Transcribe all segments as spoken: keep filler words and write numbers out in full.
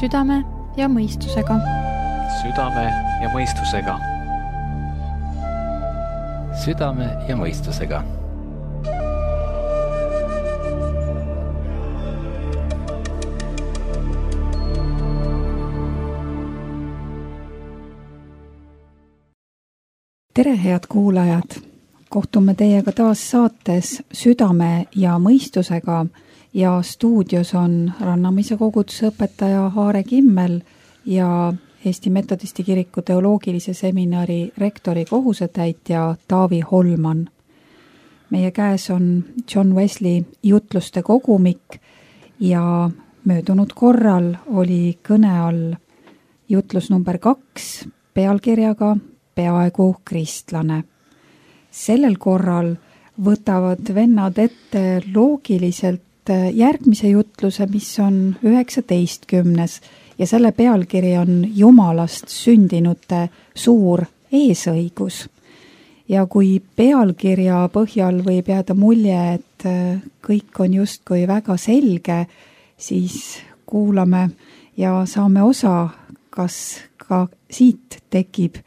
südame ja mõistusega. Südame ja mõistusega. Südame ja mõistusega. Tere, head kuulajad! Kohtume teiega taas saates Südame ja mõistusega ja stuudios on Rannamise koguduse õpetaja Aare Kimmel ja Eesti Metodisti Kiriku teoloogilise seminari rektori kohusetäitja Taavi Holman. Meie käes on John Wesley jutluste kogumik ja möödunud korral oli kõne all jutlus number kaks pealkirjaga Peaaegu kristlane. Sellel korral võtavad vennad ette loogiliselt järgmise jutluse, mis on üheksateistkümnes ja selle pealkiri on Jumalast sündinute suur eesõigus. Ja kui pealkirja põhjal võib jääda mulje, et kõik on justkui väga selge, siis kuulame ja saame osa, kas ka siit tekib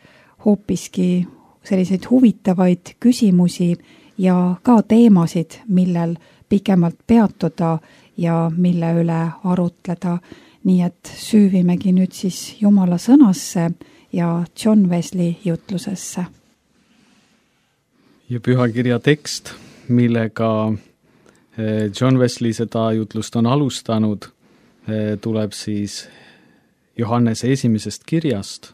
hoopiski selliseid huvitavaid küsimusi ja ka teemasid, millel pikemalt peatuda ja mille üle arutleda. Nii et süüvimegi nüüd siis Jumala sõnasse ja John Wesley jutlusesse. Ja pühakirja tekst, millega John Wesley seda jutlust on alustanud, tuleb siis Johannese esimesest kirjast,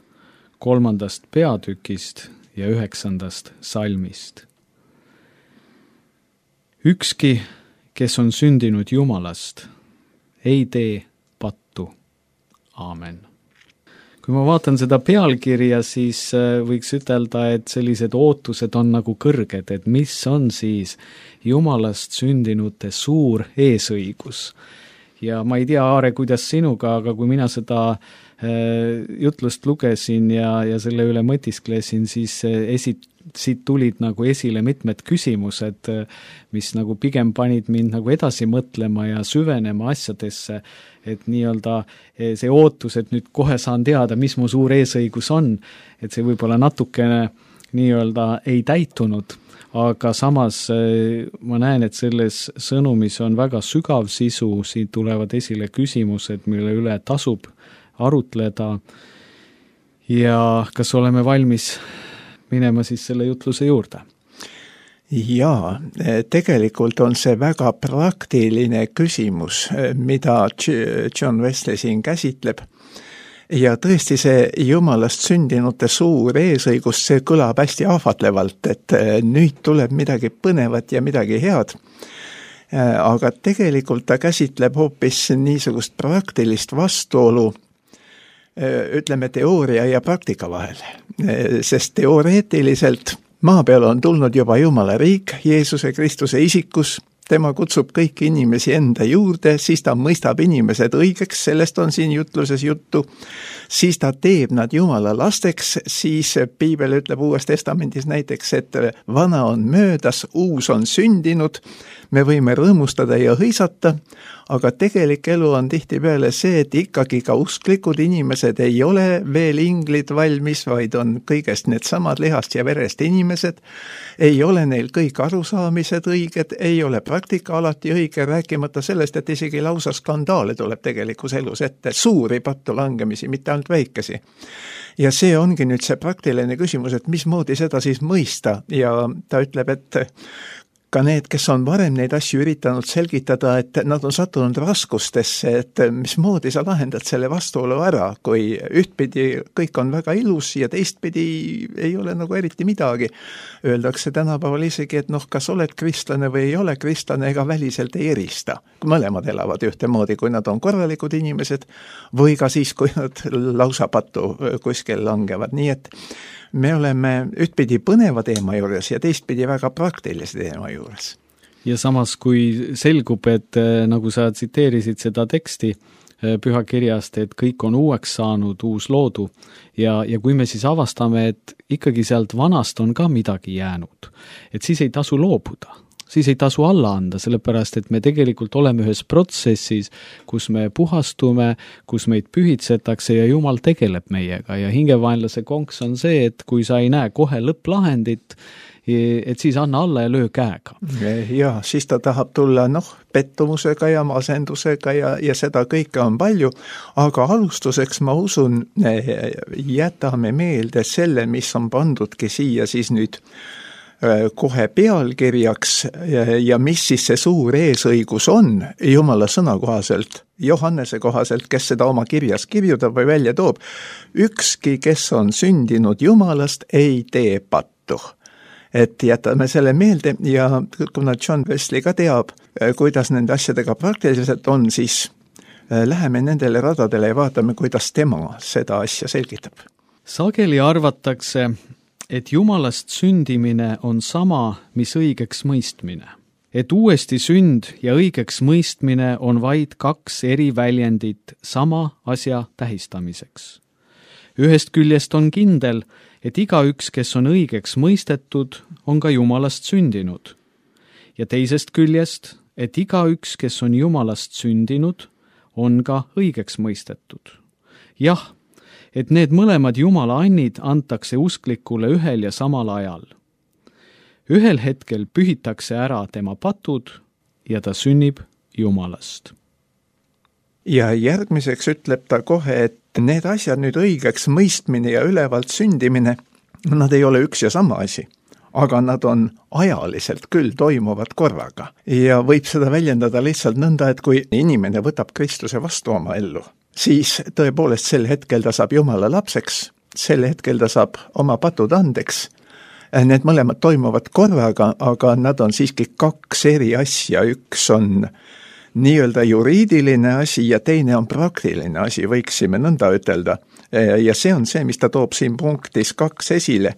kolmandast peatükist ja üheksandast salmist. Ükski, kes on sündinud Jumalast, ei tee pattu. Aamen. Kui ma vaatan seda pealkirja, siis võiks ütelda, et sellised ootused on nagu kõrged, et mis on siis Jumalast sündinute suur eesõigus. Ja ma ei tea, Aare, kuidas sinuga, aga kui mina seda jutlust lugesin ja, ja selle üle mõtisklesin, siis esi, siit tulid nagu esile mitmed küsimused, mis nagu pigem panid mind nagu edasi mõtlema ja süvenema asjadesse, et nii-öelda see ootus, et nüüd kohe saan teada, mis mu suur eesõigus on, et see võib-olla natukene nii-öelda ei täitunud, aga samas ma näen, et selles sõnumis on väga sügav sisu, siin tulevad esile küsimused, mille üle tasub arutleda ja kas oleme valmis minema siis selle jutluse juurde? Jaa, tegelikult on see väga praktiline küsimus, mida John Wesley siin käsitleb. Ja tõesti see Jumalast sündinute suur eesõigus, see kõlab hästi ahvatlevalt, et nüüd tuleb midagi põnevat ja midagi head. Aga tegelikult ta käsitleb hoopis niisugust praktilist vastuolu, ütleme teooria ja praktika vahel, sest teoreetiliselt maa peal on tulnud juba Jumala riik Jeesuse Kristuse isikus, tema kutsub kõiki inimesi enda juurde, siis ta mõistab inimesed õigeks, sellest on siin jutluses juttu, siis ta teeb nad Jumala lasteks, siis Piibel ütleb Uues Testamendis näiteks, et vana on möödas, uus on sündinud, me võime rõõmustada ja hõisata, aga tegelik elu on tihtipeale see, et ikkagi ka usklikud inimesed ei ole veel inglid valmis, vaid on kõigest need samad lihast ja verest inimesed, ei ole neil kõik arusaamised õiged, ei ole praktika alati õige, rääkimata sellest, et isegi lausa skandaale tuleb tegelikus elus ette, suuri pattu langemisi, mitte ainult väikesi. Ja see ongi nüüd see praktiline küsimus, et mismoodi seda siis mõista ja ta ütleb, et ka need, kes on varem neid asju üritanud selgitada, et nad on sattunud raskustesse, et mismoodi sa lahendad selle vastuolu ära, kui ühtpidi kõik on väga ilus ja teistpidi ei ole nagu eriti midagi. Öeldakse tänapäeval isegi, et noh, kas oled kristlane või ei ole kristlane, ega väliselt ei erista. Mõlemad elavad ühtemoodi, kui nad on korralikud inimesed või ka siis, kui nad lausa pattu kuskil langevad. Nii et me oleme ühtpidi põneva teema juures ja teistpidi väga praktilise teema juures. Ja samas, kui selgub, et nagu sa tsiteerisid seda teksti pühakirjast, et kõik on uueks saanud, uus loodu ja, ja kui me siis avastame, et ikkagi sealt vanast on ka midagi jäänud, et siis ei tasu loobuda. siis ei tasu alla anda, sellepärast et me tegelikult oleme ühes protsessis, kus me puhastume, kus meid pühitsetakse ja Jumal tegeleb meiega ja hingevaenlase konks on see, et kui sa ei näe kohe lõpplahendit, et siis anna alla ja löö käega. Ja siis ta tahab tulla noh, pettumusega ja masendusega ja, ja seda kõike on palju, aga alustuseks ma usun, jätame meelde selle, mis on pandudki siia siis nüüd kohe pealkirjaks ja, ja mis siis see suur eesõigus on Jumala sõna kohaselt, Johannese kohaselt, kes seda oma kirjas kirjutab või välja toob. Ükski, kes on sündinud Jumalast, ei tee pattu. Et jätame selle meelde ja kuna John Wesley ka teab, kuidas nende asjadega praktiliselt on, siis läheme nendele radadele ja vaatame, kuidas tema seda asja selgitab. Sageli arvatakse, et Jumalast sündimine on sama, mis õigeks mõistmine. Et uuesti sünd ja õigeks mõistmine on vaid kaks eri väljendit sama asja tähistamiseks. Ühest küljest on kindel, et igaüks, kes on õigeks mõistetud, on ka Jumalast sündinud. Ja teisest küljest, et igaüks, kes on Jumalast sündinud, on ka õigeks mõistetud. Jah, et need mõlemad Jumala annid antakse usklikule ühel ja samal ajal. Ühel hetkel pühitakse ära tema patud ja ta sünnib Jumalast. Ja järgmiseks ütleb ta kohe, et need asjad nüüd õigeks mõistmine ja ülevalt sündimine, nad ei ole üks ja sama asi, aga nad on ajaliselt küll toimuvad korraga. Ja võib seda väljendada lihtsalt nõnda, et kui inimene võtab Kristuse vastu oma ellu, siis tõepoolest sel hetkel ta saab Jumala lapseks, sel hetkel ta saab oma patud andeks. Need mõlemad toimuvad korraga, aga nad on siiski kaks eri asja, üks on nii-öelda juriidiline asi ja teine on praktiline asi, võiksime nõnda ütelda. Ja see on see, mis ta toob siin punktis kaks esile,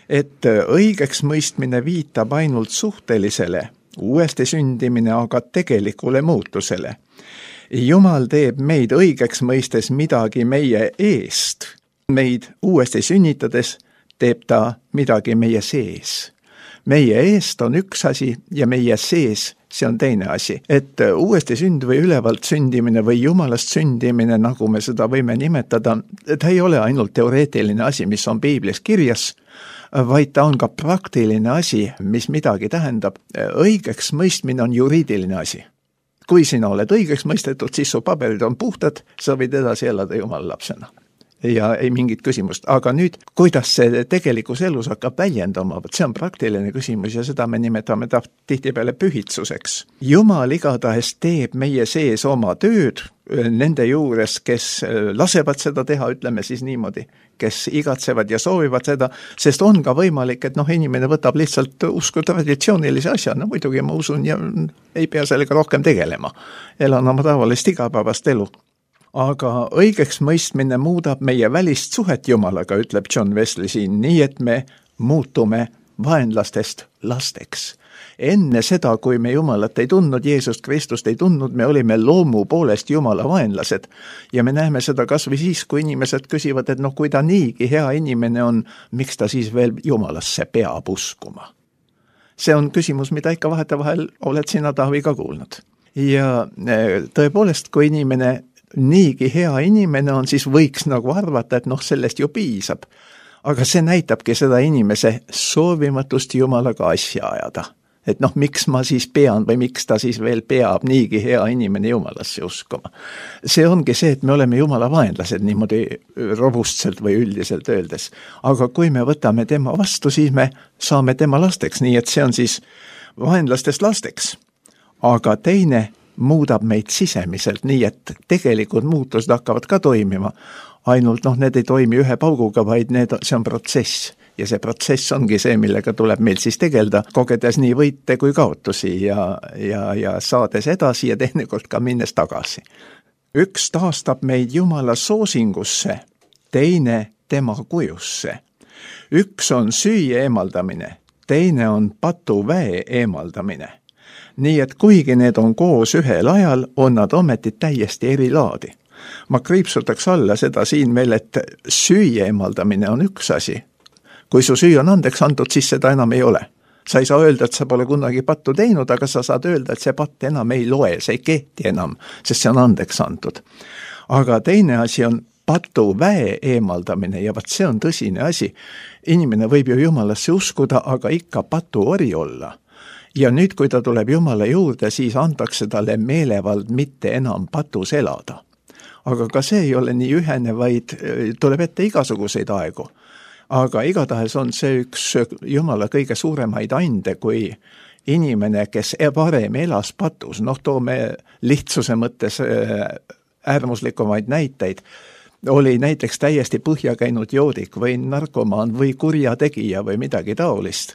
et õigeks mõistmine viitab ainult suhtelisele, uuesti sündimine aga tegelikule muutusele. Jumal teeb meid õigeks mõistes midagi meie eest. Meid uuesti sünnitades teeb ta midagi meie sees. Meie eest on üks asi ja meie sees see on teine asi. Et uuesti sünd või ülevalt sündimine või Jumalast sündimine, nagu me seda võime nimetada, ta ei ole ainult teoreetiline asi, mis on Piiblis kirjas, vaid ta on ka praktiline asi, mis midagi tähendab. Õigeks mõistmine on juriidiline asi. Kui sina oled õigeks mõistetud, siis su paberid on puhtad, sa võid edasi elada Jumala lapsena. Ja ei mingit küsimust. Aga nüüd, kuidas see tegelikus elus hakkab väljendama, see on praktiline küsimus ja seda me nimetame ta tihtipeale pühitsuseks. Jumal igatahes teeb meie sees oma tööd nende juures, kes lasevad seda teha, ütleme siis niimoodi, kes igatsevad ja soovivad seda, sest on ka võimalik, et noh, inimene võtab lihtsalt usku traditsioonilise asja, no muidugi ma usun ja ei pea sellega rohkem tegelema. Elan oma tavalist igapäevast elu. Aga õigeks mõistmine muudab meie välist suhet Jumalaga, ütleb John Wesley siin, nii et me muutume vaenlastest lasteks. Enne seda, kui me Jumalat ei tundnud, Jeesust Kristust ei tundnud, me olime loomu poolest Jumala vaenlased. Ja me näeme seda kas või siis, kui inimesed küsivad, et noh, kui ta niigi hea inimene on, miks ta siis veel Jumalasse peab uskuma? See on küsimus, mida ikka vahetevahel oled sina, Taavi, ka kuulnud. Ja tõepoolest, kui inimene niigi hea inimene on, siis võiks nagu arvata, et noh, sellest ju piisab. Aga see näitabki seda inimese soovimatust Jumalaga asja ajada. Et noh, miks ma siis pean või miks ta siis veel peab niigi hea inimene Jumalasse uskuma. See ongi see, et me oleme Jumala vaenlased niimoodi robustselt või üldiselt öeldes. Aga kui me võtame tema vastu, siis me saame tema lasteks, nii et see on siis vaenlastest lasteks. Aga teine muudab meid sisemiselt, nii et tegelikult muutused hakkavad ka toimima. Ainult noh, need ei toimi ühe pauguga, vaid need, see on protsess. Ja see protsess ongi see, millega tuleb meil siis tegelda, kogedes nii võite kui kaotusi ja, ja, ja saades edasi ja teinekord ka minnes tagasi. Üks taastab meid Jumala soosingusse, teine tema kujusse. Üks on süüa eemaldamine, teine on patuväe eemaldamine. Nii et kuigi need on koos ühel ajal, on nad ometi täiesti eri laadi. Ma kriipsutaks alla seda siin veel, et süüa eemaldamine on üks asi. Kui su süü on andeks antud, siis seda enam ei ole. sa ei saa öelda, et sa pole kunagi pattu teinud, aga sa saad öelda, et see patt enam ei loe, see ei kehti enam, sest see on andeks antud. Aga teine asi on patu väe eemaldamine ja vaat see on tõsine asi. Inimene võib ju Jumalasse uskuda, aga ikka patu ori olla. Ja nüüd, kui ta tuleb Jumala juurde, siis antakse talle meelevald mitte enam patus elada. Aga ka see ei ole nii ühene, vaid tuleb ette igasuguseid aegu. Aga igatahes on see üks Jumala kõige suuremaid ande, kui inimene, kes varem elas patus, noh toome lihtsuse mõttes äärmuslikumaid näiteid, oli näiteks täiesti põhja käinud joodik või narkomaan või kurjategija või midagi taolist.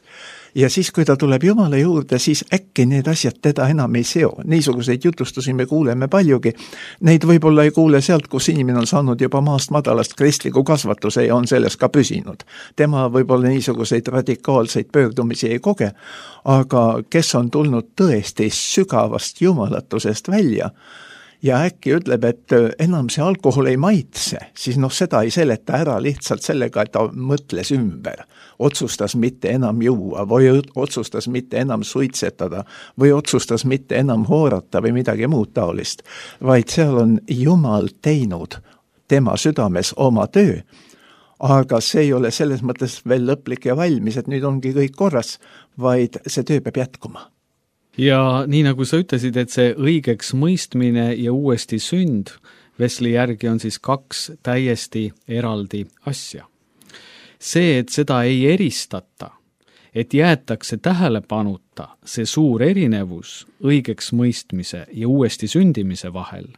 Ja siis, kui ta tuleb Jumala juurde, siis äkki need asjad teda enam ei seo. Niisuguseid jutustusi me kuuleme paljugi. Neid võib-olla ei kuule sealt, kus inimene on saanud juba maast madalast kristliku kasvatuse ja on selles ka püsinud. Tema võib-olla niisuguseid radikaalseid pöördumisi ei koge, aga kes on tulnud tõesti sügavast jumalatusest välja, ja äkki ütleb, et enam see alkohol ei maitse, siis noh, seda ei seleta ära lihtsalt sellega, et ta mõtles ümber. Otsustas mitte enam juua või otsustas mitte enam suitsetada või otsustas mitte enam hoorata või midagi muud taolist. Vaid seal on Jumal teinud tema südames oma töö, aga see ei ole selles mõttes veel lõplik ja valmis, et nüüd ongi kõik korras, vaid see töö peab jätkuma. Ja nii nagu sa ütlesid, et see õigeks mõistmine ja uuesti sünd, Wesley järgi on siis kaks täiesti eraldi asja. See, et seda ei eristata, et jäetakse tähelepanuta see suur erinevus õigeks mõistmise ja uuesti sündimise vahel,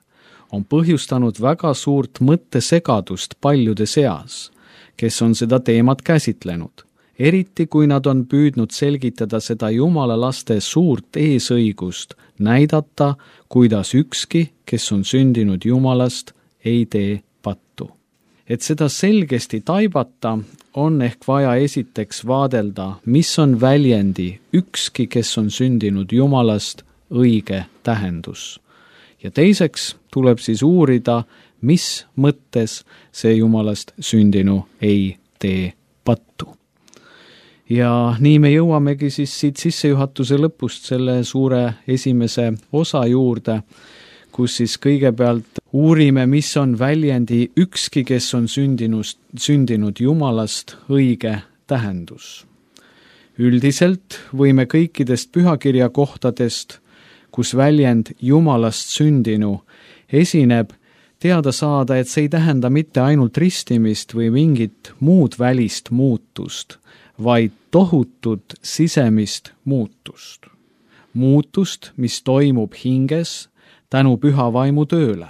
on põhjustanud väga suurt mõttesegadust paljude seas, kes on seda teemat käsitlenud. Eriti kui nad on püüdnud selgitada seda Jumala laste suurt eesõigust, näidata, kuidas ükski, kes on sündinud Jumalast, ei tee pattu. Et seda selgesti taibata, on ehk vaja esiteks vaadelda, mis on väljendi ükski, kes on sündinud Jumalast, õige tähendus. Ja teiseks tuleb siis uurida, mis mõttes see Jumalast sündinu ei tee pattu. Ja nii me jõuamegi siis siit sissejuhatuse lõpust selle suure esimese osa juurde, kus siis kõigepealt uurime, mis on väljendi ükski, kes on sündinud, sündinud Jumalast õige tähendus. Üldiselt võime kõikidest pühakirja kohtadest, kus väljend Jumalast sündinu esineb, teada saada, et see ei tähenda mitte ainult ristimist või mingit muud välist muutust, vaid tohutut sisemist muutust. Muutust, mis toimub hinges tänu püha vaimu tööle.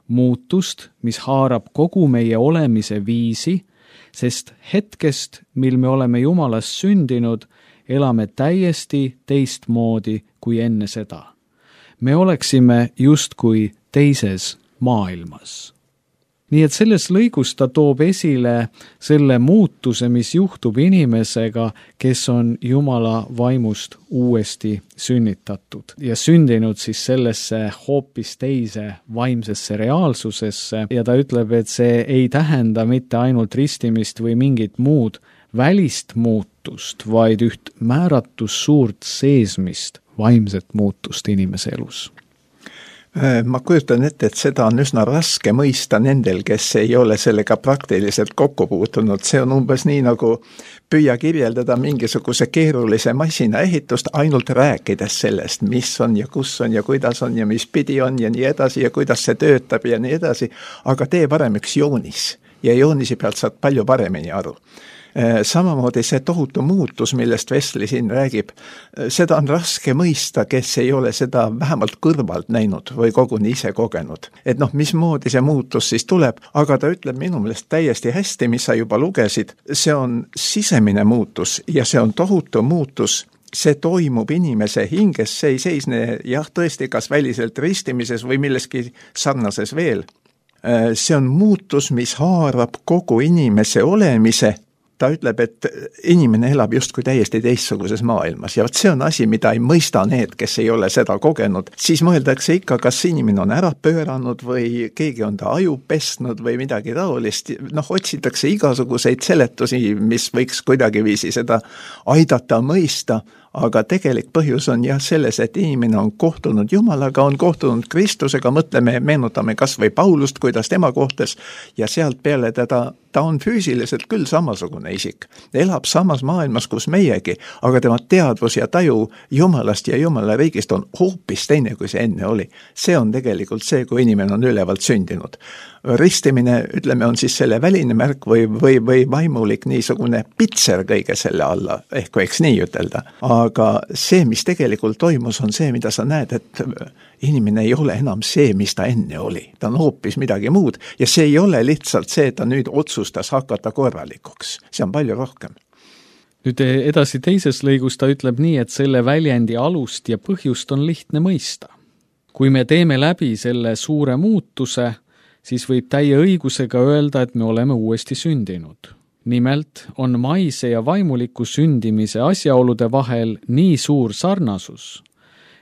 Muutust, mis haarab kogu meie olemise viisi, sest hetkest, mil me oleme Jumalast sündinud, elame täiesti teistmoodi kui enne seda. Me oleksime justkui teises maailmas. Nii et selles lõigus ta toob esile selle muutuse, mis juhtub inimesega, kes on Jumala vaimust uuesti sünnitatud ja sündinud siis sellesse hoopis teise vaimsesse reaalsusesse ja ta ütleb, et see ei tähenda mitte ainult ristimist või mingit muud välist muutust, vaid üht määratus suurt seesmist vaimset muutust inimese elus. Ma kujutan ette, et seda on üsna raske mõista nendel, kes ei ole sellega praktiliselt kokku puutunud. See on umbes nii, nagu püüa kirjeldada mingisuguse keerulise masina ehitust, ainult rääkides sellest, mis on ja kus on ja kuidas on ja mis pidi on ja nii edasi ja kuidas see töötab ja nii edasi. Aga tee parem üks joonis ja joonisi pealt saad palju paremini aru. Samamoodi see tohutu muutus, millest Wesley siin räägib, seda on raske mõista, kes ei ole seda vähemalt kõrvalt näinud või koguni ise kogenud. Et noh, mismoodi see muutus siis tuleb, aga ta ütleb minu meelest täiesti hästi, mis sa juba lugesid, see on sisemine muutus ja see on tohutu muutus, see toimub inimese hinges, see ei seisne jah, tõesti kas väliselt ristimises või milleski sarnases veel. See on muutus, mis haarab kogu inimese olemise, ta ütleb, et inimene elab justkui täiesti teistsuguses maailmas ja see on asi, mida ei mõista need, kes ei ole seda kogenud. Siis mõeldakse ikka, kas inimene on ära pööranud või keegi on ta aju pesnud või midagi taolist. Noh, otsitakse igasuguseid seletusi, mis võiks kuidagiviisi seda aidata mõista, aga tegelik põhjus on jah selles, et inimene on kohtunud Jumalaga, on kohtunud Kristusega, mõtleme, meenutame kas või Paulust, kuidas tema kohtas ja sealt peale teda, ta on füüsiliselt küll samasugune isik. Elab samas maailmas, kus meiegi, aga tema teadvus ja taju Jumalast ja Jumala riigist on hoopis teine, kui see enne oli. See on tegelikult see, kui inimene on ülevalt sündinud. Ristimine, ütleme, on siis selle väline märk või, või, või vaimulik niisugune pitser kõige selle alla, ehk võiks nii ütelda. Aga see, mis tegelikult toimus, on see, mida sa näed, et inimene ei ole enam see, mis ta enne oli. Ta on hoopis midagi muud ja see ei ole lihtsalt see, et ta nüüd otsustas hakata korralikuks. See on palju rohkem. Nüüd edasi teises lõigus ta ütleb nii, et selle väljendi alust ja põhjust on lihtne mõista. Kui me teeme läbi selle suure muutuse, siis võib täie õigusega öelda, et me oleme uuesti sündinud. Nimelt on maise ja vaimuliku sündimise asjaolude vahel nii suur sarnasus,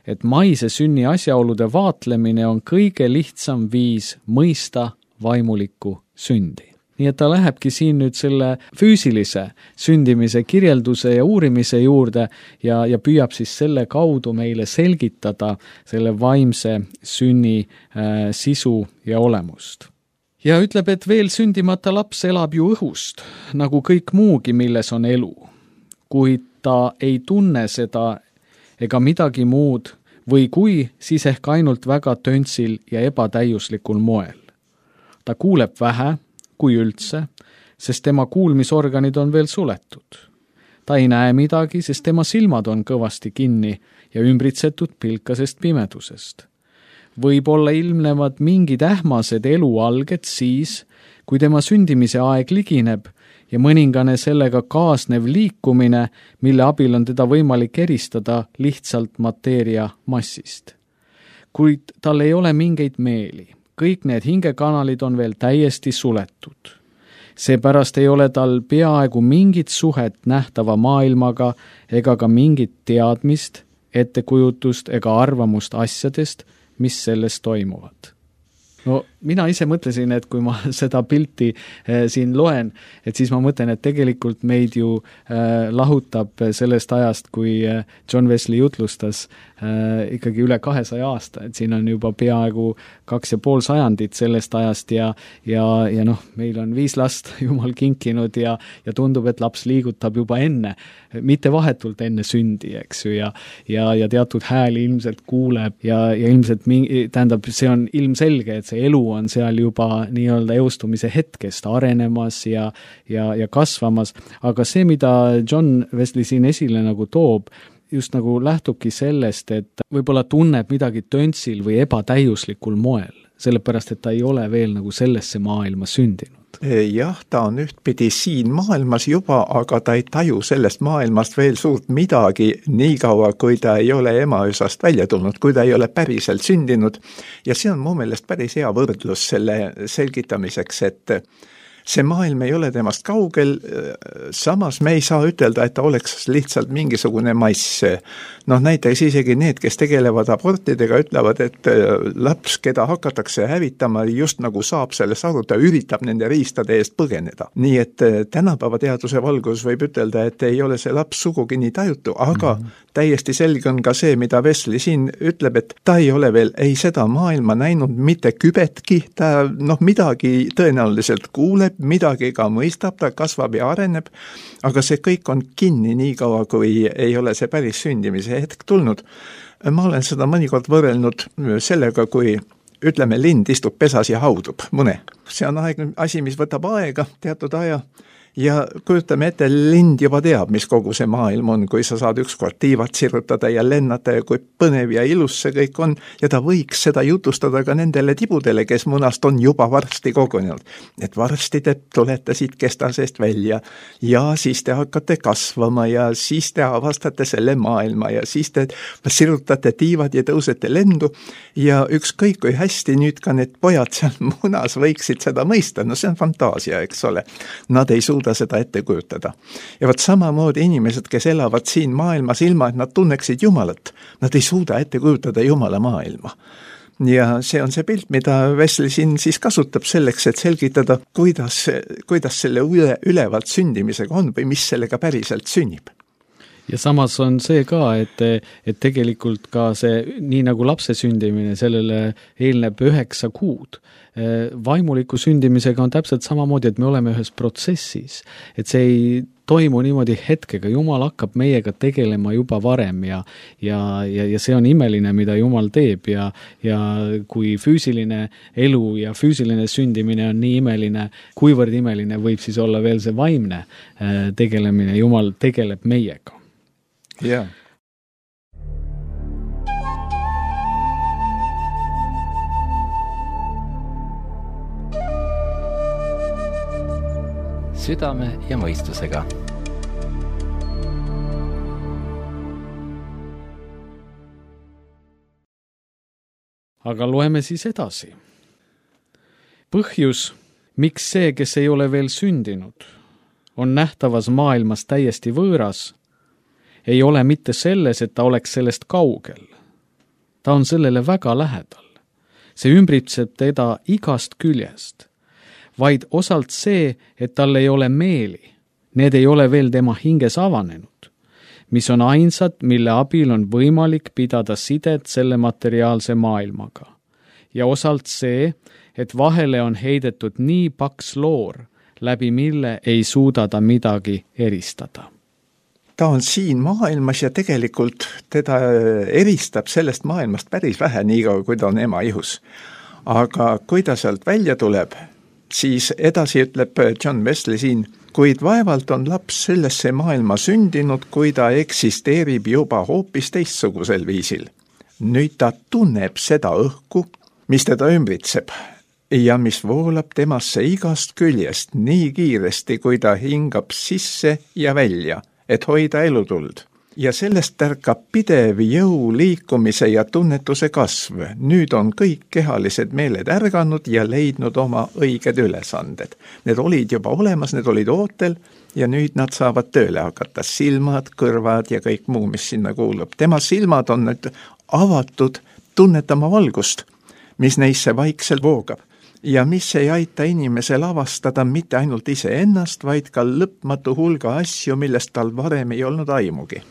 et maise sünni asjaolude vaatlemine on kõige lihtsam viis mõista vaimulikku sündi. Nii et ta lähebki siin nüüd selle füüsilise sündimise kirjelduse ja uurimise juurde ja, ja püüab siis selle kaudu meile selgitada selle vaimse sünni äh, sisu ja olemust. Ja ütleb, et veel sündimata laps elab ju õhust, nagu kõik muugi, milles on elu. Kuid ta ei tunne seda ega midagi muud või kui, siis ehk ainult väga töntsil ja ebatäiuslikul moel. Ta kuuleb vähe, kui üldse, sest tema kuulmisorganid on veel suletud. Ta ei näe midagi, sest tema silmad on kõvasti kinni ja ümbritsetud pilkasest pimedusest. Võib-olla ilmnevad mingid ähmased elualged siis, kui tema sündimise aeg ligineb ja mõningane sellega kaasnev liikumine, mille abil on teda võimalik eristada lihtsalt mateeria massist. Kuid tal ei ole mingeid meeli. Kõik need hingekanalid on veel täiesti suletud. Seepärast ei ole tal peaaegu mingit suhet nähtava maailmaga ega ka mingit teadmist, ettekujutust ega arvamust asjadest, mis selles toimuvad. No mina ise mõtlesin, et kui ma seda pilti äh, siin loen, et siis ma mõtlen, et tegelikult meid ju äh, lahutab sellest ajast, kui äh, John Wesley jutlustas äh, ikkagi üle kahesaja aasta, et siin on juba peaaegu kaks ja pool sajandit sellest ajast ja, ja, ja noh, meil on viis last Jumal kinkinud ja, ja tundub, et laps liigutab juba enne, mitte vahetult enne sündi, eks ju, ja, ja, ja teatud hääli ilmselt kuuleb ja, ja ilmselt mingi, tähendab, see on ilmselge, et see elu on seal juba nii-öelda eostumise hetkest arenemas ja, ja, ja kasvamas, aga see, mida John Wesley siin esile nagu toob, just nagu lähtubki sellest, et võib-olla tunneb midagi töntsil või ebatäiuslikul moel, sellepärast, et ta ei ole veel nagu sellesse maailma sündinud. Jah, ta on ühtpidi siin maailmas juba, aga ta ei taju sellest maailmast veel suurt midagi nii kaua, kui ta ei ole emaüsast välja tulnud, kui ta ei ole päriselt sündinud. Ja see on mu meelest päris hea võrdlus selle selgitamiseks, et see maailm ei ole temast kaugel, samas me ei saa ütelda, et ta oleks lihtsalt mingisugune mass. Noh, näiteks isegi need, kes tegelevad abortidega, ütlevad, et laps, keda hakatakse hävitama, just nagu saab sellest aru, ta üritab nende riistade eest põgeneda. Nii et tänapäeva teaduse valgus võib ütelda, et ei ole see laps sugugi nii tajutu, aga mm-hmm. täiesti selge on ka see, mida Wesley siin ütleb, et ta ei ole veel ei seda maailma näinud mitte kübetki, ta noh, midagi tõenäoliselt kuuleb, midagi ka mõistab, ta kasvab ja areneb, aga see kõik on kinni nii kaua, kui ei ole see päris sündimise hetk tulnud. Ma olen seda mõnikord võrrelnud sellega, kui ütleme, lind istub pesas ja haudub mune. See on aeg, asi, mis võtab aega, teatud aja, ja kujutame ette, lind juba teab, mis kogu see maailm on, kui sa saad ükskord tiivad sirutada ja lennata ja kui põnev ja ilus see kõik on, ja ta võiks seda jutustada ka nendele tibudele, kes munast on juba varsti kogunenud. Et varsti te tulete siit kesta seest välja ja siis te hakkate kasvama ja siis te avastate selle maailma ja siis te sirutate tiivad ja tõusete lendu ja ükskõik kui hästi nüüd ka need pojad seal munas võiksid seda mõista, no see on fantaasia, eks ole. Nad ei suuda suuda seda ette kujutada. Ja vot samamoodi inimesed, kes elavad siin maailmas ilma, et nad tunneksid Jumalat, nad ei suuda ette kujutada Jumala maailma. Ja see on see pilt, mida Wesley siin siis kasutab selleks, et selgitada, kuidas, kuidas selle üle, ülevalt sündimisega on või mis sellega päriselt sünnib. Ja samas on see ka, et, et tegelikult ka see, nii nagu lapse sündimine, sellele eelneb üheksa kuud. Vaimuliku sündimisega on täpselt samamoodi, et me oleme ühes protsessis, et see ei toimu niimoodi hetkega, Jumal hakkab meiega tegelema juba varem ja, ja, ja, ja see on imeline, mida Jumal teeb ja, ja kui füüsiline elu ja füüsiline sündimine on nii imeline, kuivõrd imeline võib siis olla veel see vaimne tegelemine, Jumal tegeleb meiega. Jah. Südame ja mõistusega. Aga loeme siis edasi. Põhjus, miks see, kes ei ole veel sündinud, on nähtavas maailmas täiesti võõras, ei ole mitte selles, et ta oleks sellest kaugel. Ta on sellele väga lähedal. See ümbritseb teda igast küljest, vaid osalt see, et tal ei ole meeli. Need ei ole veel tema hinges avanenud, mis on ainsad, mille abil on võimalik pidada sidet selle materiaalse maailmaga. Ja osalt see, et vahele on heidetud nii paks loor, läbi mille ei suuda ta midagi eristada. Ta on siin maailmas ja tegelikult teda eristab sellest maailmast päris vähe, nii kaua kui ta on ema ihus. Aga kui ta sealt välja tuleb, siis edasi ütleb John Wesley siin, kuid vaevalt on laps sellesse maailma sündinud, kui ta eksisteerib juba hoopis teistsugusel viisil. Nüüd ta tunneb seda õhku, mis teda ümbritseb ja mis voolab temasse igast küljest nii kiiresti, kui ta hingab sisse ja välja, et hoida elutuld. Ja sellest tärkab pidev jõu liikumise ja tunnetuse kasv. Nüüd on kõik kehalised meeled ärganud ja leidnud oma õiged ülesanded. Need olid juba olemas, need olid ootel ja nüüd nad saavad tööle hakata. Silmad, kõrvad ja kõik muu, mis sinna kuulub. Tema silmad on nüüd avatud tunnetama valgust, mis neisse vaikselt voogab. Ja mis ei aita inimesel avastada mitte ainult iseennast, vaid ka lõpmatu hulga asju, millest tal varem ei olnud aimugi.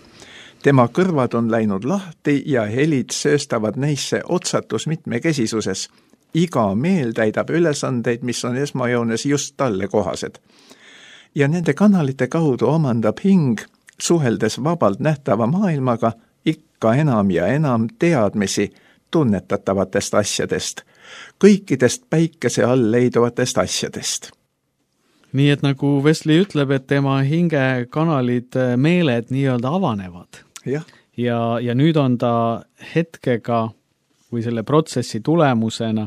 Tema kõrvad on läinud lahti ja helid sööstavad neisse otsatus mitmekesisuses. Iga meel täidab ülesandeid, mis on esmajoones just talle kohased. Ja nende kanalite kaudu omandab hing, suheldes vabalt nähtava maailmaga, ikka enam ja enam teadmisi tunnetatavatest asjadest, kõikidest päikese all leiduvatest asjadest. Nii et nagu Wesley ütleb, et tema hinge kanalid, meeled nii-öelda avanevad. Ja. Ja, ja nüüd on ta hetkega või selle protsessi tulemusena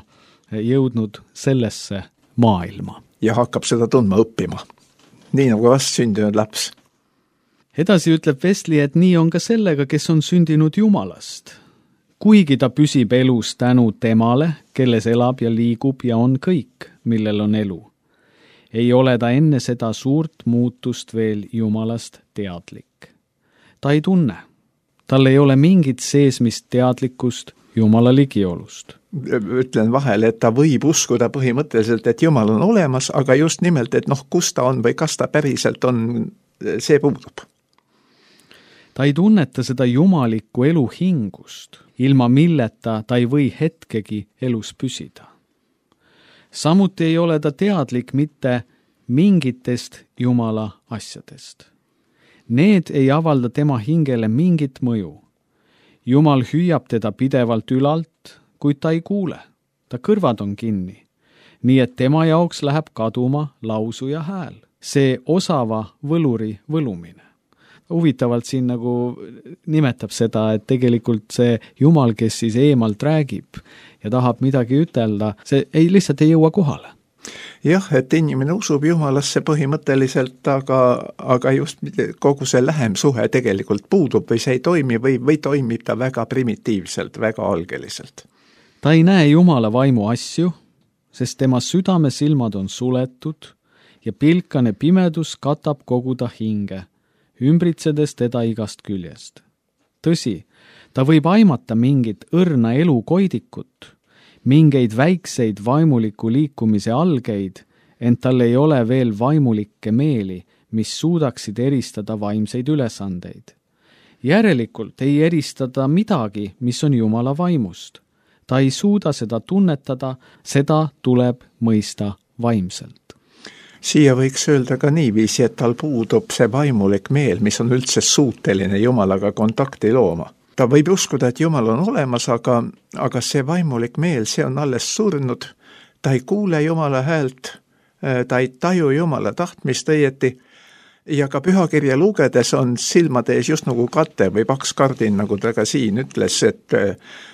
jõudnud sellesse maailma. Ja hakkab seda tundma õppima, nii nagu vast sündinud laps. Edasi ütleb Wesley, et nii on ka sellega, kes on sündinud Jumalast. Kuigi ta püsib elus tänu temale, kelles elab ja liigub ja on kõik, millel on elu. Ei ole ta enne seda suurt muutust veel Jumalast teadlik. Ta ei tunne. Tal ei ole mingit seesmist teadlikkust Jumala ligiolust. Ütlen vahele, et ta võib uskuda põhimõtteliselt, et Jumal on olemas, aga just nimelt, et noh, kus ta on või kas ta päriselt on, see puudub. Ta ei tunneta seda jumalikku elu hingust, ilma milleta ta ei või hetkegi elus püsida. Samuti ei ole ta teadlik mitte mingitest Jumala asjadest. Need ei avalda tema hingele mingit mõju. Jumal hüüab teda pidevalt ülalt, kuid ta ei kuule. Ta kõrvad on kinni. Nii et tema jaoks läheb kaduma lausu ja hääl. See osava võluri võlumine. Huvitavalt siin nagu nimetab seda, et tegelikult see Jumal, kes siis eemalt räägib ja tahab midagi ütelda, see ei, lihtsalt ei jõua kohale. Jah, et inimene usub Jumalasse põhimõtteliselt, aga, aga just kogu see lähem suhe tegelikult puudub või see ei toimi või, või toimib ta väga primitiivselt, väga algeliselt. Ta ei näe Jumala vaimu asju, sest tema südamesilmad on suletud ja pilkane pimedus katab kogu ta hinge, ümbritsedes teda igast küljest. Tõsi, ta võib aimata mingit õrna elukoidikut, mingeid väikseid vaimuliku liikumise algeid, ent tal ei ole veel vaimulikke meeli, mis suudaksid eristada vaimseid ülesandeid. Järelikult ei eristada midagi, mis on Jumala vaimust. Ta ei suuda seda tunnetada, seda tuleb mõista vaimselt. Siia võiks öelda ka niiviisi, et tal puudub see vaimulik meel, mis on üldse suuteline Jumalaga kontakti looma. Ta võib uskuda, et Jumal on olemas, aga, aga see vaimulik meel, see on alles surnud. Ta ei kuule Jumala häält, ta ei taju Jumala tahtmist õieti, ja ka pühakirja lugedes on silmade ees just nagu kate või paks kardin, nagu ta ka siin ütles, et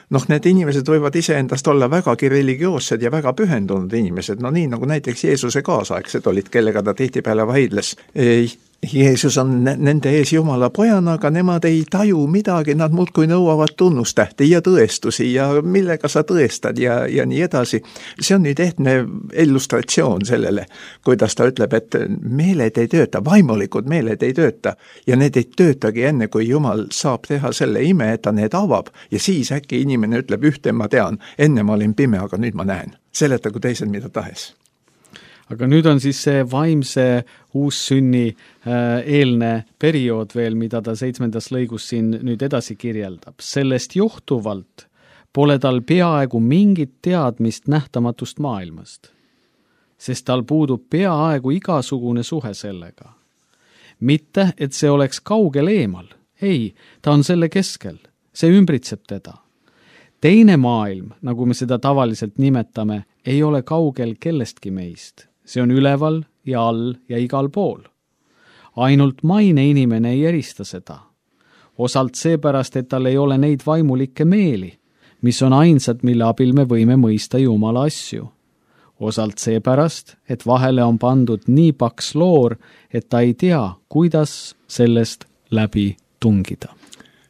noh, need inimesed võivad iseendast olla vägagi religioossed ja väga pühendunud inimesed, no nii nagu näiteks Jeesuse kaasaegsed olid, kellega ta tihtipeale vaidles. Jeesus on nende ees Jumala pojana, aga nemad ei taju midagi, nad muudkui nõuavad tunnustähti ja tõestusi ja millega sa tõestad ja, ja nii edasi. See on nüüd ehtne illustratsioon sellele, kuidas ta ütleb, et meeled ei tööta, vaimulikud meeled ei tööta ja need ei töötagi enne, kui Jumal saab teha selle ime, et ta need avab ja siis äkki inimene ütleb ühte, ma tean, enne ma olin pime, aga nüüd ma näen. Seletagu teised mida tahes. Aga nüüd on siis see vaimse uussünni eelne periood veel, mida ta seitsmendas lõigus siin nüüd edasi kirjeldab. Sellest johtuvalt pole tal peaaegu mingit teadmist nähtamatust maailmast, sest tal puudub peaaegu igasugune suhe sellega. Mitte, et see oleks kaugel eemal. Ei, ta on selle keskel. See ümbritseb teda. Teine maailm, nagu me seda tavaliselt nimetame, ei ole kaugel kellestki meist. See on üleval ja all ja igal pool. Ainult maine inimene ei erista seda. Osalt seepärast, et tal ei ole neid vaimulikke meeli, mis on ainsad, mille abil me võime mõista Jumala asju. Osalt seepärast, et vahele on pandud nii paks loor, et ta ei tea, kuidas sellest läbi tungida.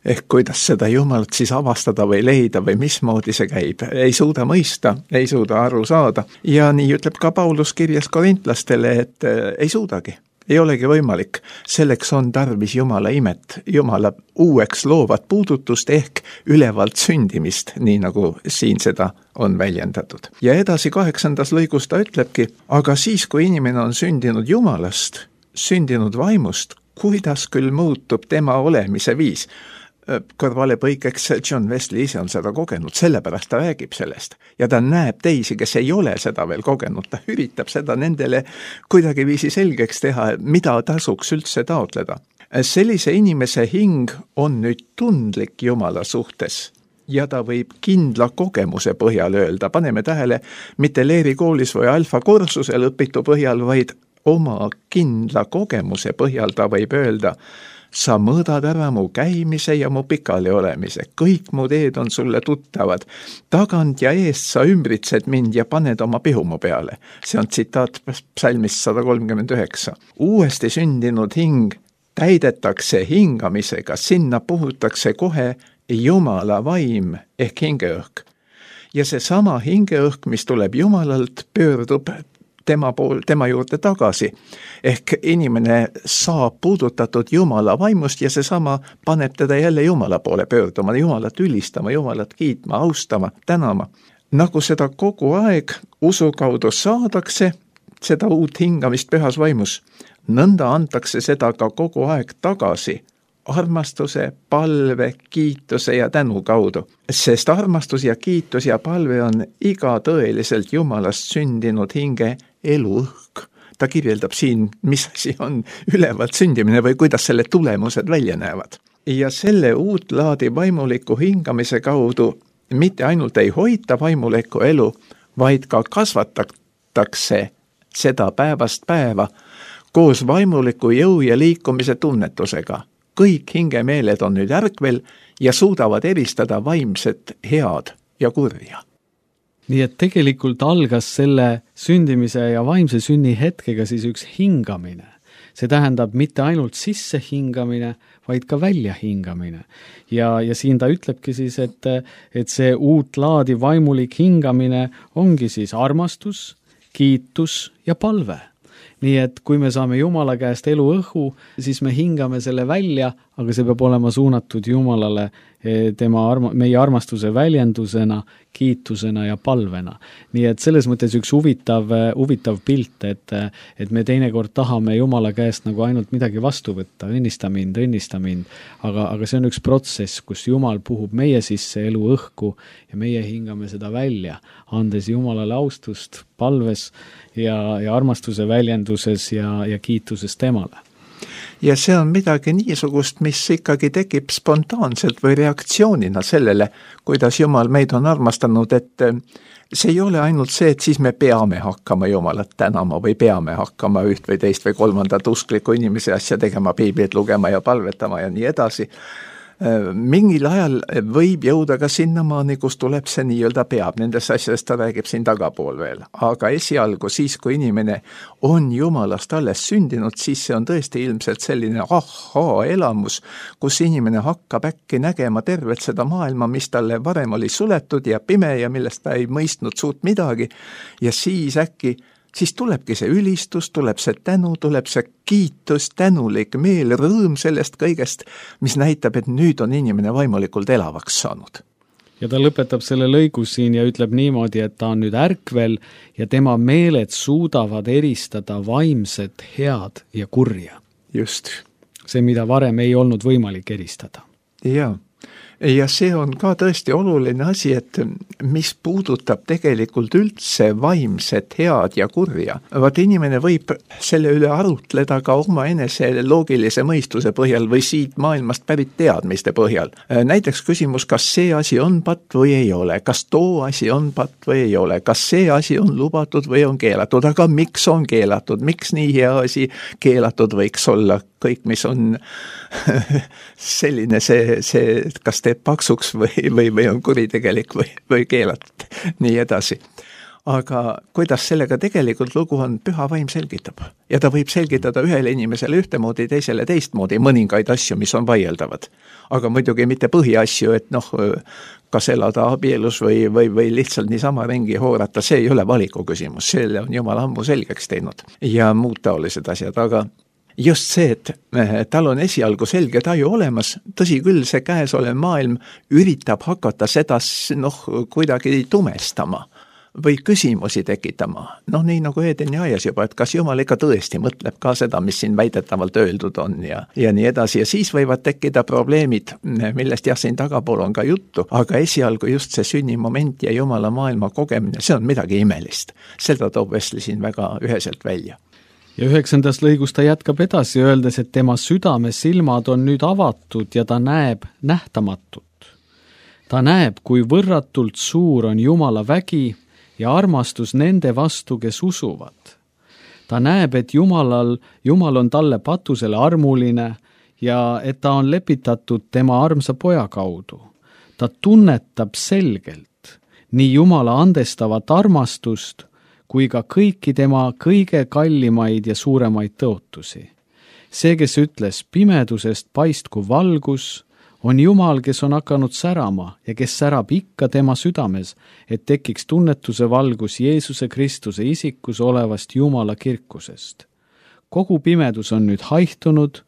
Ehk kuidas seda Jumalat siis avastada või leida või mismoodi see käib. Ei suuda mõista, ei suuda aru saada. Ja nii ütleb ka Paulus kirjas korintlastele, et ei suudagi, ei olegi võimalik. Selleks on tarvis Jumala imet, Jumala uueks loovat puudutust ehk ülevalt sündimist, nii nagu siin seda on väljendatud. Ja edasi kaheksandas lõigus ta ütlebki, aga siis, kui inimene on sündinud Jumalast, sündinud vaimust, kuidas küll muutub tema olemise viis? Kõrvale põikeks John Wesley ise on seda kogenud, sellepärast ta räägib sellest. Ja ta näeb teisi, kes ei ole seda veel kogenud, ta üritab seda nendele kuidagi viisi selgeks teha, mida tasuks üldse taotleda. Sellise inimese hing on nüüd tundlik Jumala suhtes ja ta võib kindla kogemuse põhjal öelda, paneme tähele, mitte Leeri koolis või Alfa kursusel õpitu põhjal, vaid oma kindla kogemuse põhjal ta võib öelda, sa mõõdad ära mu käimise ja mu pikali olemise. Kõik mu teed on sulle tuttavad. Tagant ja eest sa ümbritsed mind ja paned oma pihu mu peale. See on tsitaat psalmist sada kolmkümmend üheksa. Uuesti sündinud hing täidetakse hingamisega, sinna puhutakse kohe Jumala vaim ehk hingeõhk. Ja see sama hingeõhk, mis tuleb Jumalalt, pöördub tema pool, tema juurde tagasi. Ehk inimene saab puudutatud Jumala vaimust ja seesama paneb teda jälle Jumala poole pöörduma, Jumalat ülistama, Jumalat kiitma, austama, tänama. Nagu seda kogu aeg usu kaudu saadakse, seda uut hingamist pühas vaimus, nõnda antakse seda ka kogu aeg tagasi, armastuse, palve, kiituse ja tänu kaudu. Sest armastus ja kiitus ja palve on iga tõeliselt Jumalast sündinud hinge eluõhk. Ta kirjeldab siin, mis asi on ülevalt sündimine või kuidas selle tulemused välja näevad. Ja selle uut laadi vaimuliku hingamise kaudu mitte ainult ei hoita vaimulikku elu, vaid ka kasvatatakse seda päevast päeva koos vaimuliku jõu ja liikumise tunnetusega. Kõik hingemeeled on nüüd ärkvel ja suudavad eristada vaimset head ja kurja. Nii et tegelikult algas selle sündimise ja vaimse sünni hetkega siis üks hingamine. See tähendab mitte ainult sisse hingamine, vaid ka välja hingamine. Ja, ja siin ta ütlebki siis, et, et see uut laadi vaimulik hingamine ongi siis armastus, kiitus ja palve. nii et kui me saame Jumala käest eluõhu, siis me hingame selle välja, aga see peab olema suunatud Jumalale tema arma, meie armastuse väljendusena, kiitusena ja palvena. Nii et selles mõttes üks huvitav, huvitav pilt, et, et me teinekord tahame Jumala käest nagu ainult midagi vastu võtta, õnnista mind, õnnista mind, aga, aga see on üks protsess, kus Jumal puhub meie sisse elu õhku ja meie hingame seda välja, andes Jumalale austust, palves ja, ja armastuse väljenduses ja, ja kiituses temale. Ja see on midagi niisugust, mis ikkagi tekib spontaanselt või reaktsioonina sellele, kuidas Jumal meid on armastanud, et see ei ole ainult see, et siis me peame hakkama Jumalat tänama või peame hakkama üht või teist või kolmandat uskliku inimese asja tegema, piiblit lugema ja palvetama ja nii edasi. Mingil ajal võib jõuda ka sinnamaani, kus tuleb see nii-öelda peab, nendest asjadest ta räägib siin tagapool veel. Aga esialgu siis, kui inimene on Jumalast alles sündinud, siis see on tõesti ilmselt selline ahaa elamus, kus inimene hakkab äkki nägema tervet seda maailma, mis talle varem oli suletud ja pime ja millest ta ei mõistnud suurt midagi ja siis äkki siis tulebki see ülistus, tuleb see tänu, tuleb see kiitus, tänulik meel, rõõm sellest kõigest, mis näitab, et nüüd on inimene vaimulikult elavaks saanud. Ja ta lõpetab selle lõigu siin ja ütleb niimoodi, et ta on nüüd ärkvel ja tema meeled suudavad eristada vaimset, head ja kurja. Just. See, mida varem ei olnud võimalik eristada. Jaa. Ja see on ka tõesti oluline asi, et mis puudutab tegelikult üldse vaimset, head ja kurja. Vaat inimene võib selle üle arutleda ka oma enese loogilise mõistuse põhjal või siit maailmast pärit teadmiste põhjal. Näiteks küsimus, kas see asi on patt või ei ole, kas too asi on patt või ei ole, kas see asi on lubatud või on keelatud, aga miks on keelatud, miks nii hea asi keelatud võiks olla, kõik, mis on selline see, see kas teeb paksuks või, või, või on kuritegelik või, või keelatud, nii edasi. Aga kuidas sellega tegelikult lugu on, püha vaim selgitab. Ja ta võib selgitada ühele inimesele ühtemoodi, teisele teistmoodi mõningaid asju, mis on vaieldavad. Aga muidugi mitte põhiasju, et noh, kas elada abielus või, või, või lihtsalt niisama ringi hoorata, see ei ole valiku küsimus, selle on Jumal ammu selgeks teinud ja muud taolised asjad, aga just see, et tal on esialgu selge taju olemas, tõsi küll, see käes olev maailm üritab hakata seda noh, kuidagi tumestama või küsimusi tekitama. Noh, nii nagu Edeni aias juba, et kas Jumal ikka tõesti mõtleb ka seda, mis siin väidetavalt öeldud on ja, ja nii edasi. Ja siis võivad tekkida probleemid, millest jah, siin tagapool on ka juttu, aga esialgu just see sünnimoment ja Jumala maailma kogemine, see on midagi imelist. Seda toob Wesley siin väga üheselt välja. Ja üheksandas lõigus ta jätkab edasi, öeldes, et tema südame silmad on nüüd avatud ja ta näeb nähtamatut. Ta näeb, kui võrratult suur on Jumala vägi ja armastus nende vastu, kes usuvad. Ta näeb, et Jumalal, Jumal on talle patusele armuline ja et ta on lepitatud tema armsa poja kaudu. Ta tunnetab selgelt nii Jumala andestavat armastust, kui ka kõiki tema kõige kallimaid ja suuremaid tõotusi. See, kes ütles, pimedusest paistku valgus, on Jumal, kes on hakanud särama ja kes särab ikka tema südames, et tekiks tunnetuse valgus Jeesuse Kristuse isikus olevast Jumala kirkusest. Kogu pimedus on nüüd haihtunud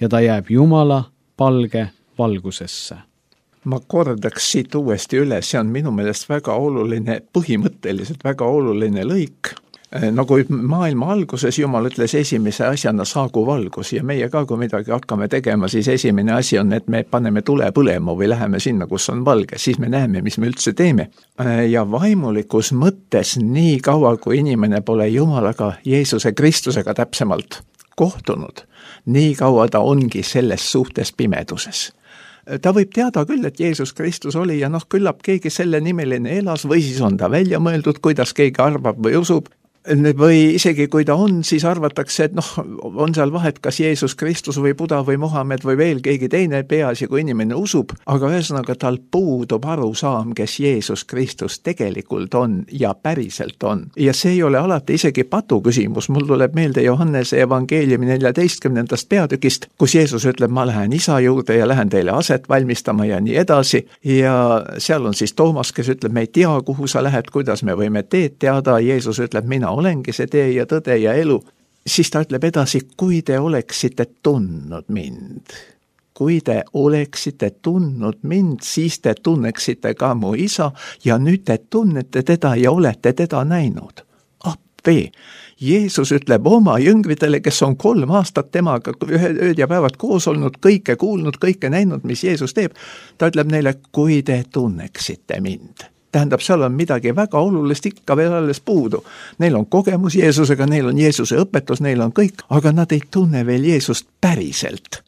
ja ta jääb Jumala palge valgusesse. Ma kordaks siit uuesti üle, see on minu meelest väga oluline, põhimõtteliselt väga oluline lõik. Nagu maailma alguses Jumal ütles esimese asjana saagu valgus ja meie ka, kui midagi hakkame tegema, siis esimene asi on, et me paneme tule põlema või läheme sinna, kus on valge, siis me näeme, mis me üldse teeme. Ja vaimulikus mõttes nii kaua, kui inimene pole Jumalaga, Jeesuse Kristusega täpsemalt kohtunud, nii kaua ta ongi selles suhtes pimeduses. Ta võib teada küll, et Jeesus Kristus oli ja noh, küllap keegi selle nimeline elas või siis on ta välja mõeldud, kuidas keegi arvab või usub. Või isegi kui ta on, siis arvatakse, et noh, on seal vahet, kas Jeesus Kristus või Buda või Mohammed või veel keegi teine peaasi, kui inimene usub, aga ühesõnaga tal puudub arusaam, kes Jeesus Kristus tegelikult on ja päriselt on. Ja see ei ole alati isegi patu küsimus, mul tuleb meelde Johannese evangeeliumi neljateistkümnendast peatükist, kus Jeesus ütleb, ma lähen isa juurde ja lähen teile aset valmistama ja nii edasi. Ja seal on siis Toomas, kes ütleb, me ei tea, kuhu sa lähed, kuidas me võime teed teada, Jeesus ütleb, mina olengi see tee ja tõde ja elu. siis ta ütleb edasi, kui te oleksite tundnud mind, kui te oleksite tundnud mind, siis te tunneksite ka mu isa ja nüüd te tunnete teda ja olete teda näinud. Appi! Jeesus ütleb oma jüngritele, kes on kolm aastat temaga ööd ja päevad koos olnud, kõike kuulnud, kõike näinud, mis Jeesus teeb. Ta ütleb neile, kui te tunneksite mind. Tähendab, seal on midagi väga olulist ikka veel alles puudu. Neil on kogemus Jeesusega, neil on Jeesuse õpetus, neil on kõik, aga nad ei tunne veel Jeesust päriselt.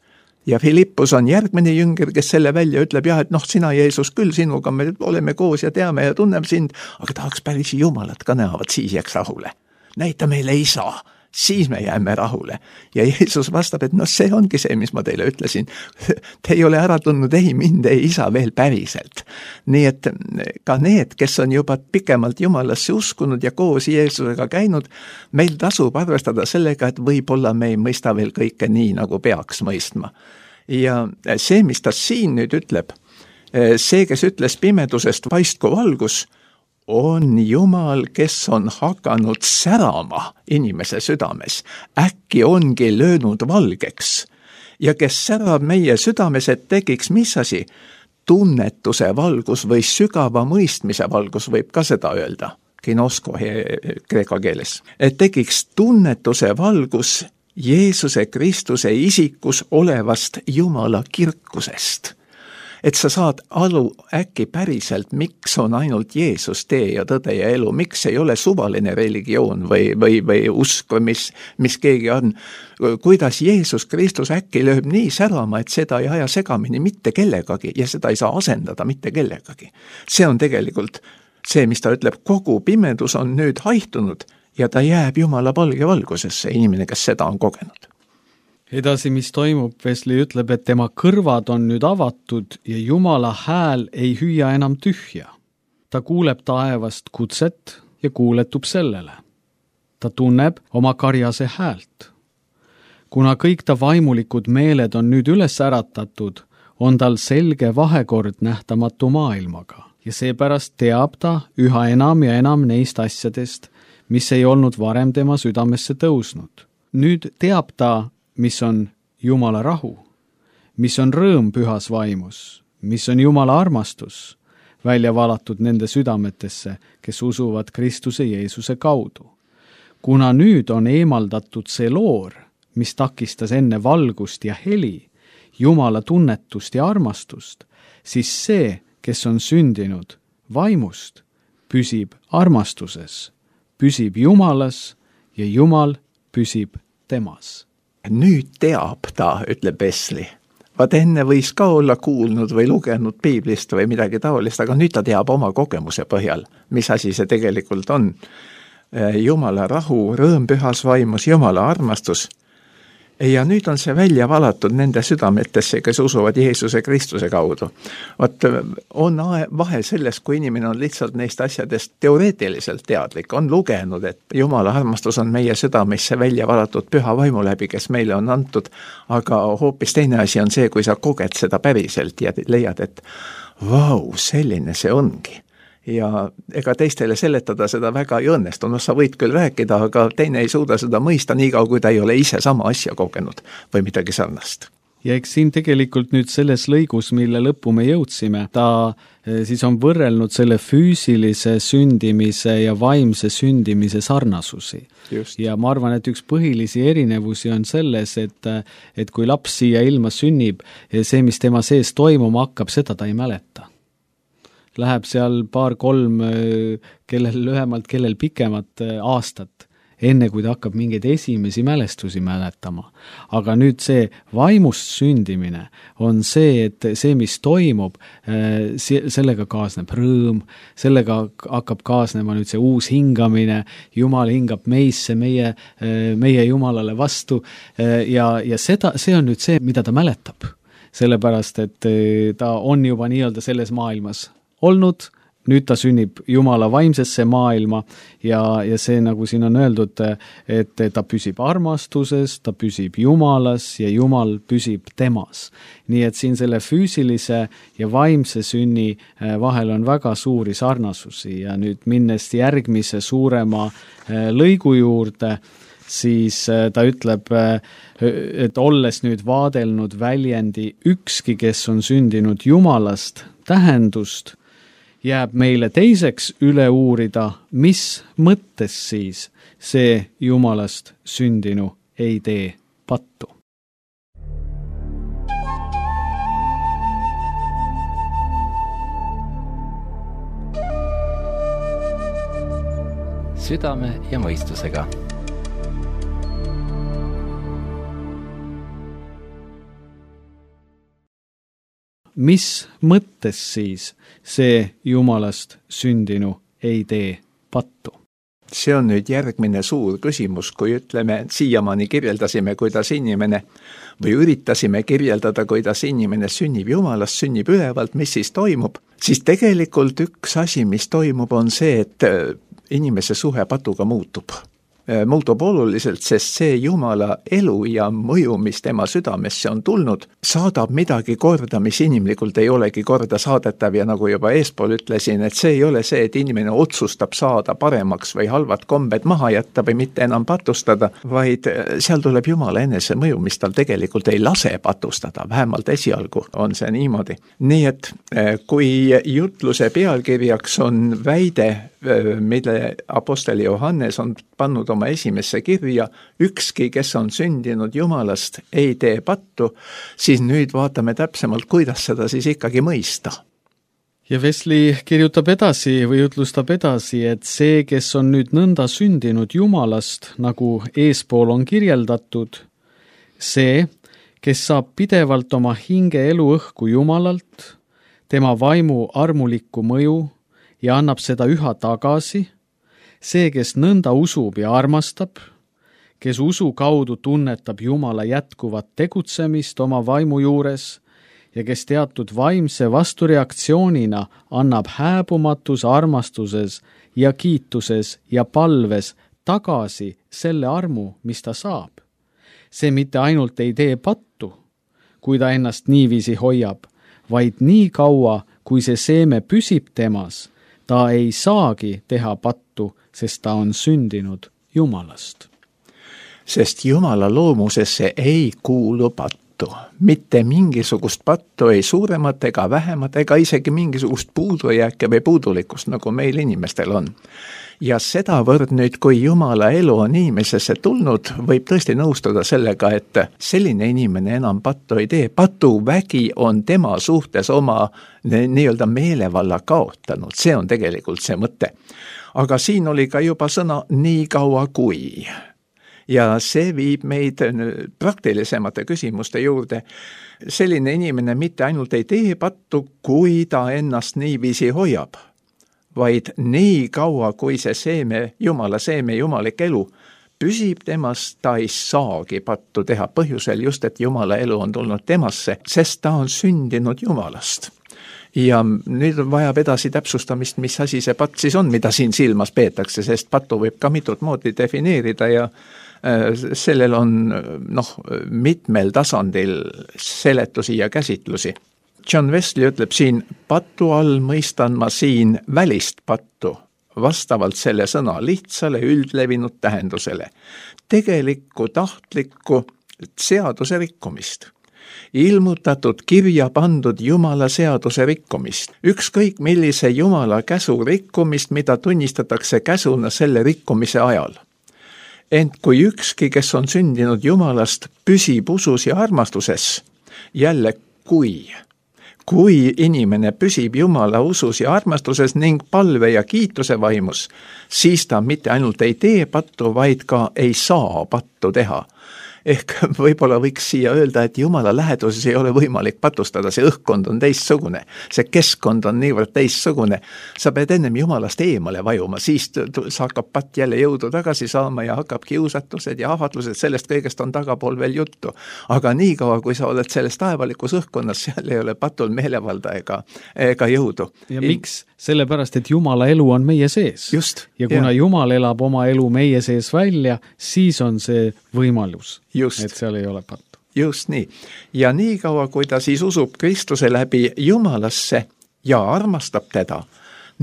Ja Filippus on järgmine jünger, kes selle välja ütleb, jah, et noh, sina Jeesus küll, sinuga me oleme koos ja teame ja tunneme sind, aga tahaks päris Jumalat ka näha, vaat siis jääks rahule. Näita meile isa, siis me jääme rahule. Ja Jeesus vastab, et no see ongi see, mis ma teile ütlesin. Te ei ole ära tundnud ei mind, ei isa veel päriselt. Nii et ka need, kes on juba pikemalt Jumalasse uskunud ja koos Jeesusega käinud, meil tasub arvestada sellega, et võib-olla me ei mõista veel kõike nii, nagu peaks mõistma. Ja see, mis ta siin nüüd ütleb, see, kes ütles pimedusest paistku valgus, on Jumal, kes on hakanud särama inimese südames. Äkki ongi löönud valgeks. Ja kes särab meie südames, et tekiks mis asi? Tunnetuse valgus või sügava mõistmise valgus, võib ka seda öelda. Kinosko kreeka keeles. Et tekiks tunnetuse valgus Jeesuse Kristuse isikus olevast Jumala kirkusest. Et sa saad aru äkki päriselt, miks on ainult Jeesus tee ja tõde ja elu, miks ei ole suvaline religioon või, või, või usk, mis, mis keegi on. Kuidas Jeesus Kristus äkki lööb nii särama, et seda ei aja segamini mitte kellegagi ja seda ei saa asendada mitte kellegagi. See on tegelikult see, mis ta ütleb, kogu pimedus on nüüd haihtunud ja ta jääb Jumala palge valgusesse, inimene, kes seda on kogenud. Edasi, mis toimub, Wesley ütleb, et tema kõrvad on nüüd avatud ja Jumala hääl ei hüüa enam tühja. Ta kuuleb taevast kutset ja kuuletub sellele. Ta tunneb oma karjase häält. Kuna kõik ta vaimulikud meeled on nüüd üles äratatud, on tal selge vahekord nähtamatu maailmaga ja seepärast teab ta üha enam ja enam neist asjadest, mis ei olnud varem tema südamesse tõusnud. Nüüd teab ta, mis on Jumala rahu, mis on rõõm pühas vaimus, mis on Jumala armastus, välja valatud nende südametesse, kes usuvad Kristuse Jeesuse kaudu. Kuna nüüd on eemaldatud see loor, mis takistas enne valgust ja heli, Jumala tunnetust ja armastust, siis see, kes on sündinud vaimust, püsib armastuses, püsib Jumalas ja Jumal püsib temas. Nüüd teab ta, ütleb Wesley. Vaat enne võis ka olla kuulnud või lugenud piiblist või midagi taolist, aga nüüd ta teab oma kogemuse põhjal, mis asi see tegelikult on. Jumala rahu, rõõm pühas vaimus, Jumala armastus. Ja nüüd on see välja valatud nende südametesse, kes usuvad Jeesuse Kristuse kaudu. Vaat on vahe selles, kui inimene on lihtsalt neist asjadest teoreetiliselt teadlik, on lugenud, et Jumala armastus on meie südamesse välja valatud püha vaimu läbi, kes meile on antud, aga hoopis teine asi on see, kui sa koged seda päriselt ja leiad, et vau, selline see ongi. Ja ega teistele seletada seda väga ei õnnestu, no sa võid küll rääkida, aga teine ei suuda seda mõista nii kaua, kui ta ei ole ise sama asja kogenud või midagi sarnast. Ja eks siin tegelikult nüüd selles lõigus, mille lõppu me jõudsime, ta siis on võrrelnud selle füüsilise sündimise ja vaimse sündimise sarnasusi. Just. Ja ma arvan, et üks põhilisi erinevusi on selles, et, et kui laps siia ilma sünnib, see, mis tema sees toimuma hakkab, seda ta ei mäleta. Läheb seal paar-kolm, kellel lühemalt, kellel pikemat aastat, enne kui ta hakkab mingeid esimesi mälestusi mäletama. Aga nüüd see vaimust sündimine on see, et see, mis toimub, sellega kaasneb rõõm, sellega hakkab kaasnema nüüd see uus hingamine, Jumal hingab meisse, meie, meie Jumalale vastu ja, ja seda, see on nüüd see, mida ta mäletab. Sellepärast, et ta on juba nii-öelda selles maailmas olnud, nüüd ta sünnib Jumala vaimsesse maailma ja, ja see, nagu siin on öeldud, et ta püsib armastuses, ta püsib Jumalas ja Jumal püsib temas. Nii et siin selle füüsilise ja vaimse sünni vahel on väga suuri sarnasusi ja nüüd minnes järgmise suurema lõigu juurde, siis ta ütleb, et olles nüüd vaadelnud väljendi ükski, kes on sündinud Jumalast, tähendust, jääb meile teiseks üle uurida, mis mõttes siis see Jumalast sündinu ei tee pattu. Südame ja mõistusega. Mis mõttes siis see Jumalast sündinu ei tee pattu? See on nüüd järgmine suur küsimus, kui ütleme, siiamaani kirjeldasime, kuidas inimene või üritasime kirjeldada, kuidas inimene sünnib Jumalast, sünnib ülevalt, mis siis toimub, siis tegelikult üks asi, mis toimub, on see, et inimese suhe patuga muutub. Muutub oluliselt, sest see Jumala elu ja mõju, mis tema südamesse on tulnud, saadab midagi korda, mis inimlikult ei olegi korda saadetav ja nagu juba eespool ütlesin, et see ei ole see, et inimene otsustab saada paremaks või halvad kombed maha jätta või mitte enam patustada, vaid seal tuleb Jumala enese mõju, mis tal tegelikult ei lase patustada, vähemalt esialgu on see niimoodi. Nii et kui jutluse pealkirjaks on väide, mille apostel Johannes on pannud oma esimesse kirja, ükski, kes on sündinud Jumalast, ei tee pattu, siis nüüd vaatame täpsemalt, kuidas seda siis ikkagi mõista. Ja Wesley kirjutab edasi või jutlustab edasi, et see, kes on nüüd nõnda sündinud Jumalast, nagu eespool on kirjeldatud, see, kes saab pidevalt oma hinge elu õhku Jumalalt, tema vaimu armulikku mõju ja annab seda üha tagasi, see, kes nõnda usub ja armastab, kes usu kaudu tunnetab Jumala jätkuvat tegutsemist oma vaimu juures ja kes teatud vaimse vastureaktsioonina annab hääbumatus armastuses ja kiituses ja palves tagasi selle armu, mis ta saab. See mitte ainult ei tee pattu, kui ta ennast niiviisi hoiab, vaid nii kaua, kui see seeme püsib temas, ta ei saagi teha pattu, sest ta on sündinud Jumalast. Sest Jumala loomusesse ei kuulu pattu. Mitte mingisugust pattu, ei suuremat ega vähemat, ega isegi mingisugust puudujääke või puudulikkust, nagu meil inimestel on. Ja sedavõrd nüüd, kui Jumala elu on inimesesse tulnud, võib tõesti nõustuda sellega, et selline inimene enam pattu ei tee. Patuvägi on tema suhtes oma nii-öelda meelevalla kaotanud. See on tegelikult see mõte. Aga siin oli ka juba sõna nii kaua kui. Ja see viib meid praktilisemate küsimuste juurde. Selline inimene mitte ainult ei tee pattu, kui ta ennast niiviisi hoiab, vaid nii kaua, kui see seeme, Jumala seeme, jumalik elu püsib temast, ta ei saagi pattu teha põhjusel just, et Jumala elu on tulnud temasse, sest ta on sündinud Jumalast. Ja nüüd vajab edasi täpsustamist, mis asi see patt siis on, mida siin silmas peetakse, sest pattu võib ka mitut moodi defineerida ja sellel on noh, mitmel tasandil seletusi ja käsitlusi. John Wesley ütleb siin, pattu all mõistan ma siin välist pattu, vastavalt selle sõna lihtsale üldlevinud tähendusele, tegelikku tahtlikku seaduse rikkumist, ilmutatud kirja pandud Jumala seaduse rikkumist, ükskõik millise Jumala käsu rikkumist, mida tunnistatakse käsuna selle rikkumise ajal. Ent kui ükski, kes on sündinud Jumalast, püsib usus ja armastuses, jälle kui, kui inimene püsib Jumala usus ja armastuses ning palve ja kiituse vaimus, siis ta mitte ainult ei tee pattu, vaid ka ei saa pattu teha. Ehk võib-olla võiks siia öelda, et Jumala läheduses ei ole võimalik patustada, see õhkkond on teistsugune, see keskkond on niivõrd teistsugune. Sa pead ennem Jumalast eemale vajuma, siis sa hakkab patt jälle jõudu tagasi saama ja hakkab kiusatused ja ahvatlused, sellest kõigest on tagapool veel juttu. Aga nii kaua, kui sa oled selles taevalikus õhkkonnas, seal ei ole patul meelevalda ega, ega jõudu. Ja I... miks? Sellepärast, et Jumala elu on meie sees. Just. Ja kuna ja. Jumal elab oma elu meie sees välja, siis on see võimalus. Just. Et seal ei ole pattu. Just nii. Ja nii kaua, kui ta siis usub Kristuse läbi Jumalasse ja armastab teda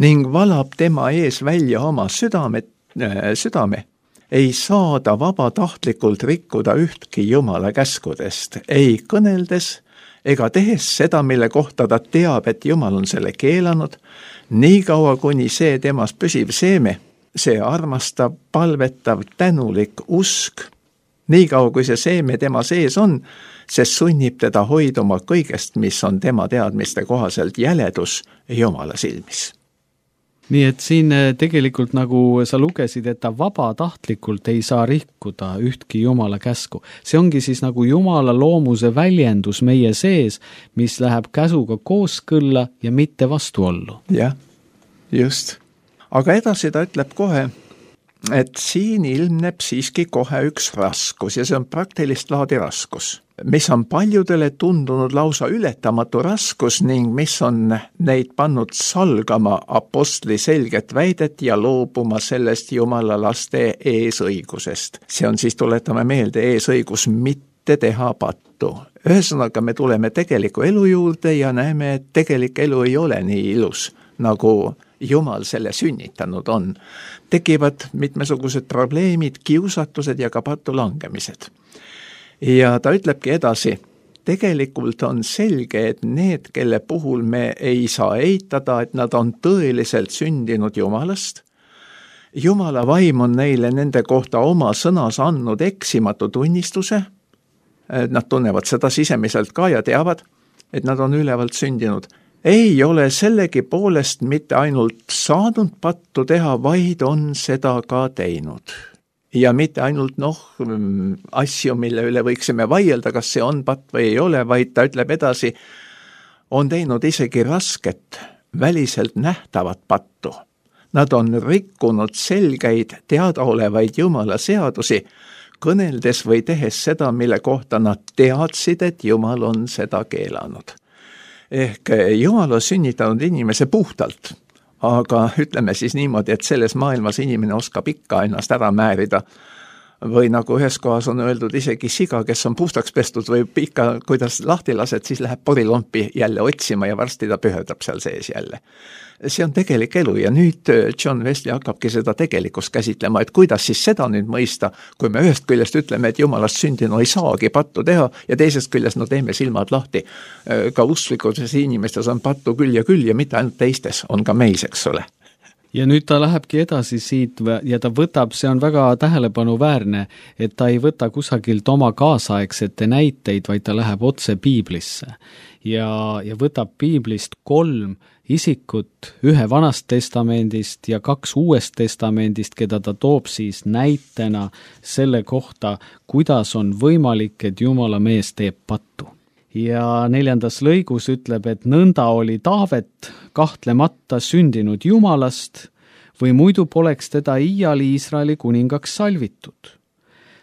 ning valab tema ees välja oma südame, südame ei saada vabatahtlikult rikkuda ühtki Jumala käskudest, ei kõneldes ega tehes seda, mille kohta ta teab, et Jumal on selle keelanud, nii kaua kuni see temas püsiv seeme, see armastav, palvetav, tänulik usk, nii kaua kui see seeme tema sees on, see sunnib teda hoiduma kõigest, mis on tema teadmiste kohaselt jäledus Jumala silmis. Nii et siin tegelikult nagu sa lugesid, et ta vabatahtlikult ei saa rikkuda ühtki Jumala käsku. See ongi siis nagu Jumala loomuse väljendus meie sees, mis läheb käsuga kooskõlla ja mitte vastuollu. Jah, just. Aga edasi ta ütleb kohe, et siin ilmneb siiski kohe üks raskus ja see on praktilist laadi raskus, mis on paljudele tundunud lausa ületamatu raskus ning mis on neid pannud salgama apostli selget väidet ja loobuma sellest Jumala laste eesõigusest. See on siis, tuletame meelde, eesõigus mitte teha pattu. Ühesõnaga me tuleme tegeliku elu juurde ja näeme, et tegelik elu ei ole nii ilus, nagu Jumal selle sünnitanud on. Tekivad mitmesugused probleemid, kiusatused ja ka pattu langemised. Ja ta ütlebki edasi, tegelikult on selge, et need, kelle puhul me ei saa eitada, et nad on tõeliselt sündinud Jumalast. Jumala vaim on neile nende kohta oma sõnas andnud eksimatu tunnistuse. Nad tunnevad seda sisemiselt ka ja teavad, et nad on ülevalt sündinud. Ei ole sellegi poolest mitte ainult saanud pattu teha, vaid on seda ka teinud. Ja mitte ainult noh, asju, mille üle võiksime vaielda, kas see on patt või ei ole, vaid ta ütleb edasi, on teinud isegi rasket, väliselt nähtavat pattu. Nad on rikkunud selgeid, teadaolevaid Jumala seadusi, kõneldes või tehes seda, mille kohta nad teadsid, et Jumal on seda keelanud. Ehk Jumal on sünnitanud inimese puhtalt, aga ütleme siis niimoodi, et selles maailmas inimene oskab ikka ennast ära määrida. Või nagu ühes kohas on öeldud, isegi siga, kes on puhtaks pestud või ikka, kuidas lahti lased, siis läheb porilompi jälle otsima ja varsti ta pühedab seal sees jälle. See on tegelik elu ja nüüd John Wesley hakkabki seda tegelikkust käsitlema, et kuidas siis seda nüüd mõista, kui me ühest küljest ütleme, et Jumalast sündinu ei saagi pattu teha ja teisest küljest no teeme silmad lahti. Ka usklikutes inimestes on pattu küll ja küll ja mitte ainult teistes, on ka meis, eks ole. Ja nüüd ta lähebki edasi siit ja ta võtab, see on väga tähelepanuväärne, et ta ei võta kusagilt oma kaasaegsete näiteid, vaid ta läheb otse Piiblisse ja, ja võtab Piiblist kolm isikut, ühe Vanast testamendist ja kaks Uuest testamendist, keda ta toob siis näitena selle kohta, kuidas on võimalik, et Jumala mees teeb pattu. Ja neljandas lõigus ütleb, et nõnda oli Taavet kahtlemata sündinud Jumalast või muidu poleks teda iial Iisraeli kuningaks salvitud.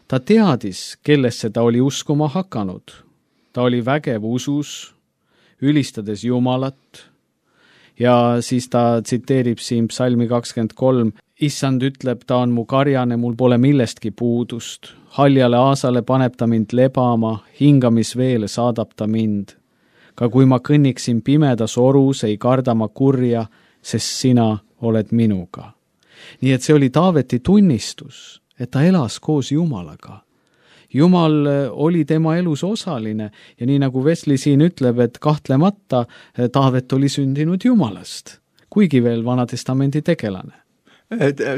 Ta teadis, kellesse ta oli uskuma hakanud. Ta oli vägev usus, ülistades Jumalat ja siis ta tsiteerib siin psalmi kakskümmend kolm. Issand ütleb, ta on mu karjane, mul pole millestki puudust. Haljale aasale paneb ta mind lebama, hingamisveele saadab ta mind. Ka kui ma kõnniksin pimedas orus, ei karda ma kurja, sest sina oled minuga. Nii et see oli Taaveti tunnistus, et ta elas koos Jumalaga. Jumal oli tema elus osaline ja nii nagu Wesley siin ütleb, et kahtlemata Taavet oli sündinud Jumalast, kuigi veel Vanatestamendi tegelane.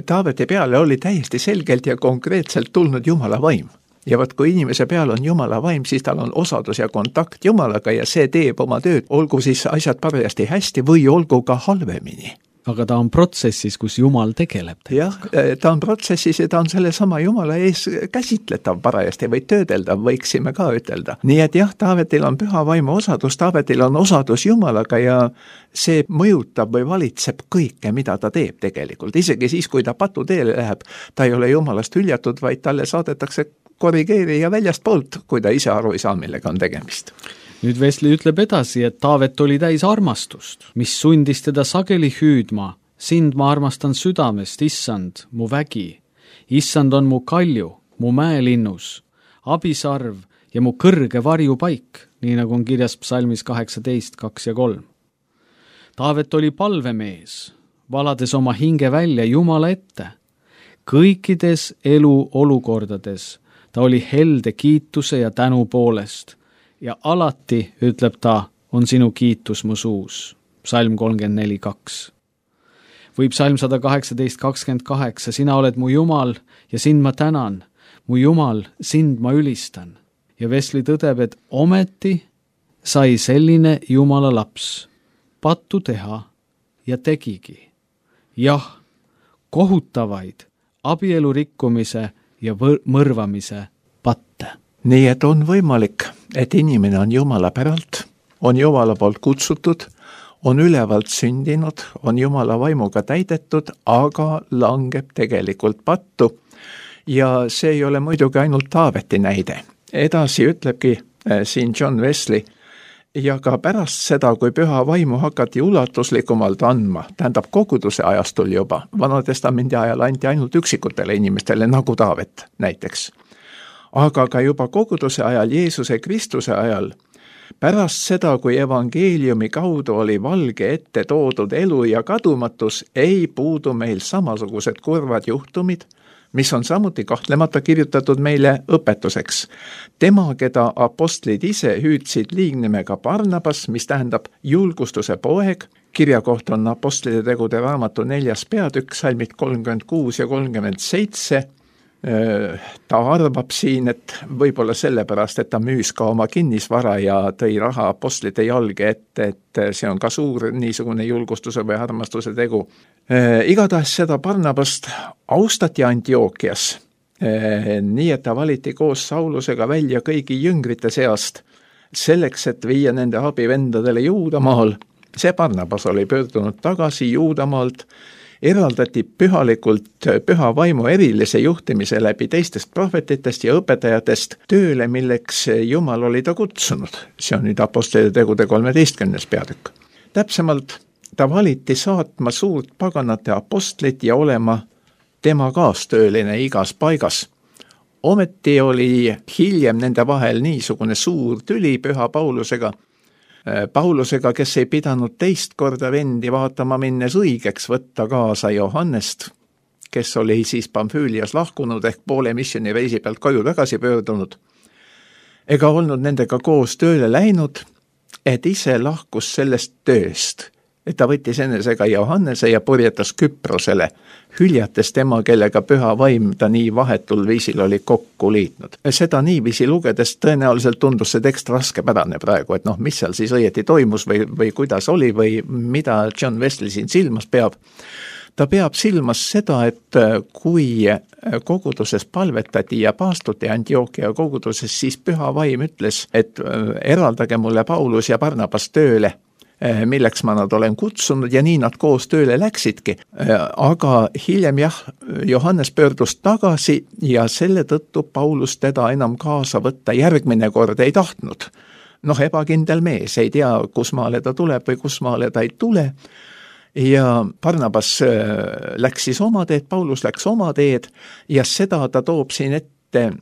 Taaveti peale oli täiesti selgelt ja konkreetselt tulnud Jumala vaim. Ja võt, kui inimese peal on Jumala vaim, siis tal on osadus ja kontakt Jumalaga ja see teeb oma tööd, olgu siis asjad parajasti hästi või olgu ka halvemini. Aga ta on protsessis, kus Jumal tegeleb. Jah, ta on protsessis ja ta on selle sama Jumala ees käsitletav parajasti või töödeldav, võiksime ka ütelda. Nii et jah, Taavetil on püha vaimu osadus, Taavetil on osadus Jumalaga ja see mõjutab või valitseb kõike, mida ta teeb tegelikult. Isegi siis, kui ta patu teele läheb, ta ei ole Jumalast hüljatud, vaid talle saadetakse korrigeerija väljast poolt, kui ta ise aru ei saa, millega on tegemist. Nüüd Wesley ütleb edasi, et Taavet oli täis armastust, mis sundis teda sageli hüüdma. Sind ma armastan südamest, issand, mu vägi. Issand on mu kalju, mu mäelinnus, abisarv ja mu kõrge varjupaik, nii nagu on kirjas psalmis kaheksateist, kaks ja kolm. Taavet oli palvemees, valades oma hinge välja Jumala ette. kõikides elu olukordades ta oli helde kiituse ja tänu poolest ja alati, ütleb ta, on sinu kiitus mu suus. Psalm kolmkümmend neli kaks. Või psalm sada kaheksateist kakskümmend kaheksa, sina oled mu Jumal ja sind ma tänan, mu Jumal, sind ma ülistan. Ja Wesley tõdeb, et ometi sai selline Jumala laps pattu teha ja tegigi. Jah, kohutavaid abielu rikkumise ja võr- mõrvamise patte. Nii et on võimalik, et inimene on Jumala päralt, on Jumala poolt kutsutud, on ülevalt sündinud, on Jumala vaimuga täidetud, aga langeb tegelikult pattu. Ja see ei ole muidugi ainult Taaveti näide. Edasi ütlebki äh, siin John Wesley, ja ka pärast seda, kui püha vaimu hakati ulatuslikumalt andma, tähendab koguduse ajastul juba, Vana-testamendi ajal anti ainult üksikutele inimestele, nagu Taavet näiteks. Aga ka juba koguduse ajal, Jeesuse Kristuse ajal, pärast seda, kui evangeeliumi kaudu oli valge ette toodud elu ja kadumatus, ei puudu meil samasugused kurvad juhtumid, mis on samuti kahtlemata kirjutatud meile õpetuseks. Tema, keda apostlid ise hüüdsid liignimega Barnabas, mis tähendab julgustuse poeg, kirja kohta on apostlide tegude raamatu neljas peatükk, salmid kolmkümmend kuus ja kolmkümmend seitse. Ta arvab siin, et võib-olla sellepärast, et ta müüs ka oma kinnisvara ja tõi raha apostlite jalge ette, et see on ka suur niisugune julgustuse või armastuse tegu. Igatahes seda Barnabast austati Antiookias, nii et ta valiti koos Saulusega välja kõigi jüngrite seast, selleks, et viia nende abivendadele Juudamaal. See Barnabas oli pöördunud tagasi Juudamaalt, eraldati pühalikult püha vaimu erilise juhtimise läbi teistest prohvetitest ja õpetajatest tööle, milleks Jumal oli ta kutsunud. See on nüüd apostlite tegude kolmeteistkümnes peatükk. Täpsemalt, ta valiti saatma suurt paganate apostlit ja olema tema kaastööline igas paigas. Ometi oli hiljem nende vahel niisugune suur tüli püha Paulusega, Paulusega, kes ei pidanud teist korda vendi vaatama minnes õigeks võtta kaasa Johannest, kes oli siis Pamfüülias lahkunud ehk poole missiooni reisi pealt koju tagasi pöördunud, ega olnud nendega koos tööle läinud, et ise lahkus sellest tööst, et ta võttis enesega Johannese ja purjetas Küprosele, hüljates tema, kellega püha vaim ta nii vahetul viisil oli kokku liitnud. Seda niiviisi lugedes tõenäoliselt tundus see tekst raskepärane praegu, et noh, mis seal siis õieti toimus või, või kuidas oli või mida John Wesley siin silmas peab. Ta peab silmas seda, et kui koguduses palvetati ja paastuti Antiookia koguduses, siis püha vaim ütles, et eraldage mulle Paulus ja Barnabas tööle, milleks ma nad olen kutsunud ja nii nad koos tööle läksidki. Aga hiljem jah, Johannes pöördus tagasi ja selle tõttu Paulus teda enam kaasa võtta järgmine kord ei tahtnud. Noh, ebakindel mees, ei tea, kus maale ta tuleb või kus maale ta ei tule. Ja Barnabas läks siis oma teed, Paulus läks oma teed ja seda ta toob siin ette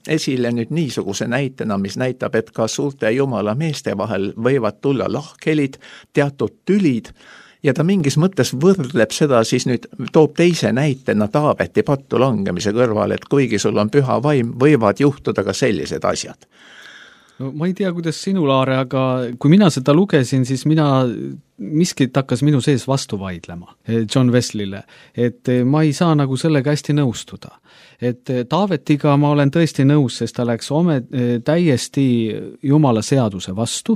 esile nüüd niisuguse näitena, mis näitab, et ka suurte Jumala meeste vahel võivad tulla lahkhelid, teatud tülid ja ta mingis mõttes võrdleb seda siis nüüd, toob teise näitena Taaveti pattu langemise kõrval, et kuigi sul on püha vaim, võivad juhtuda ka sellised asjad. No ma ei tea, kuidas sinu, Laare, aga kui mina seda lugesin, siis mina, miskit hakkas minu sees vastu vaidlema John Wesley'le, et ma ei saa nagu sellega hästi nõustuda. Et Taavetiga ma olen tõesti nõus, sest ta läks ome, täiesti Jumala seaduse vastu.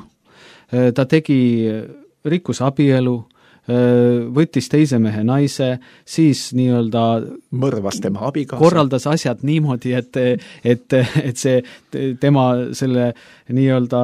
Ta tegi rikkus abielu, võttis teise mehe naise, siis nii-öelda mõrvas tema abikaasa. Korraldas asjad niimoodi, et, et, et see tema selle nii-öelda,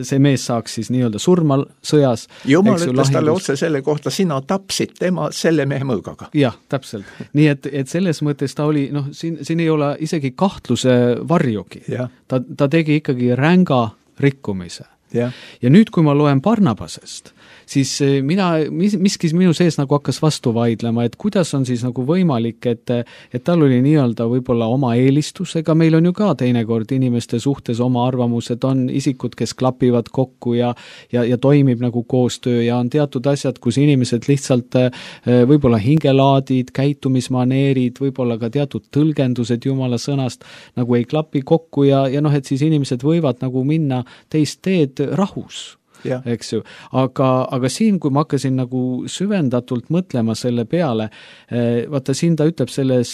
see mees saaks siis nii-öelda surma sõjas. Jumal ütles talle otse selle kohta, sina tapsid tema selle mehe mõõgaga. Jah, täpselt. Nii et, et selles mõttes ta oli, noh, siin, siin ei ole isegi kahtluse varjugi. Ta, ta tegi ikkagi ränga rikkumise. Yeah. Ja nüüd, kui ma loen Barnabasest, siis mina, mis, miskis minu sees nagu hakkas vastu vaidlema, et kuidas on siis nagu võimalik, et, et tal oli nii-öelda võib-olla oma eelistusega, meil on ju ka teinekord inimeste suhtes oma arvamused, on isikud, kes klapivad kokku ja, ja, ja toimib nagu koostöö ja on teatud asjad, kus inimesed lihtsalt võib-olla hingelaadid, käitumismaneerid, võib-olla ka teatud tõlgendused Jumala sõnast nagu ei klapi kokku ja, ja noh, et siis inimesed võivad nagu minna teist teed rahus. Ja. Eks ju, aga, aga siin, kui ma hakkasin nagu süvendatult mõtlema selle peale, vaata siin ta ütleb selles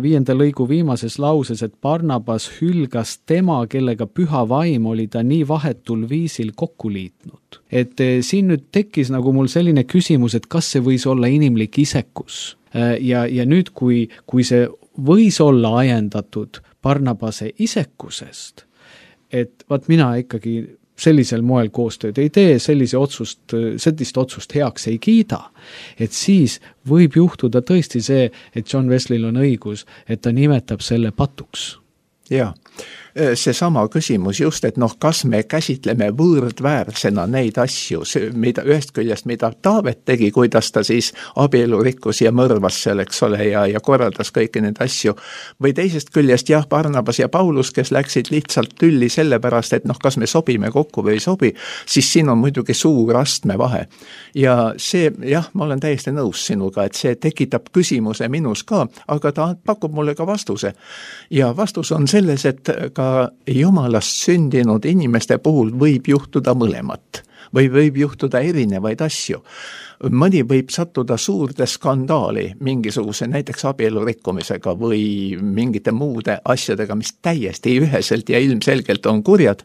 viienda lõigu viimases lauses, et Barnabas hülgas tema, kellega püha vaim oli ta nii vahetul viisil kokku liitnud. Et siin nüüd tekkis nagu mul selline küsimus, et kas see võis olla inimlik isekus ja, ja nüüd, kui, kui see võis olla ajendatud Barnabase isekusest, et vaat mina ikkagi sellisel moel koostööd ei tee, sellise otsust, sellist otsust heaks ei kiida, et siis võib juhtuda tõesti see, et John Wesley'l on õigus, et ta nimetab selle patuks. Jaa, see sama küsimus just, et noh, kas me käsitleme võõrdväärsena neid asju, mida ühest küljest, mida Taavet tegi, kuidas ta siis abielu rikkus ja mõrvas seal, eks ole, ja, ja korraldas kõiki neid asju, või teisest küljest jah, Barnabas ja Paulus, kes läksid lihtsalt tülli sellepärast, et noh, kas me sobime kokku või ei sobi, siis siin on muidugi suur astme vahe. Ja see, jah, ma olen täiesti nõus sinuga, et see tekitab küsimuse minus ka, aga ta pakub mulle ka vastuse. Ja vastus on selles, et ka Jumalast sündinud inimeste puhul võib juhtuda mõlemat või võib juhtuda erinevaid asju. Mõni võib sattuda suurde skandaali mingisuguse näiteks abielu rikkumisega või mingite muude asjadega, mis täiesti üheselt ja ilmselgelt on kurjad,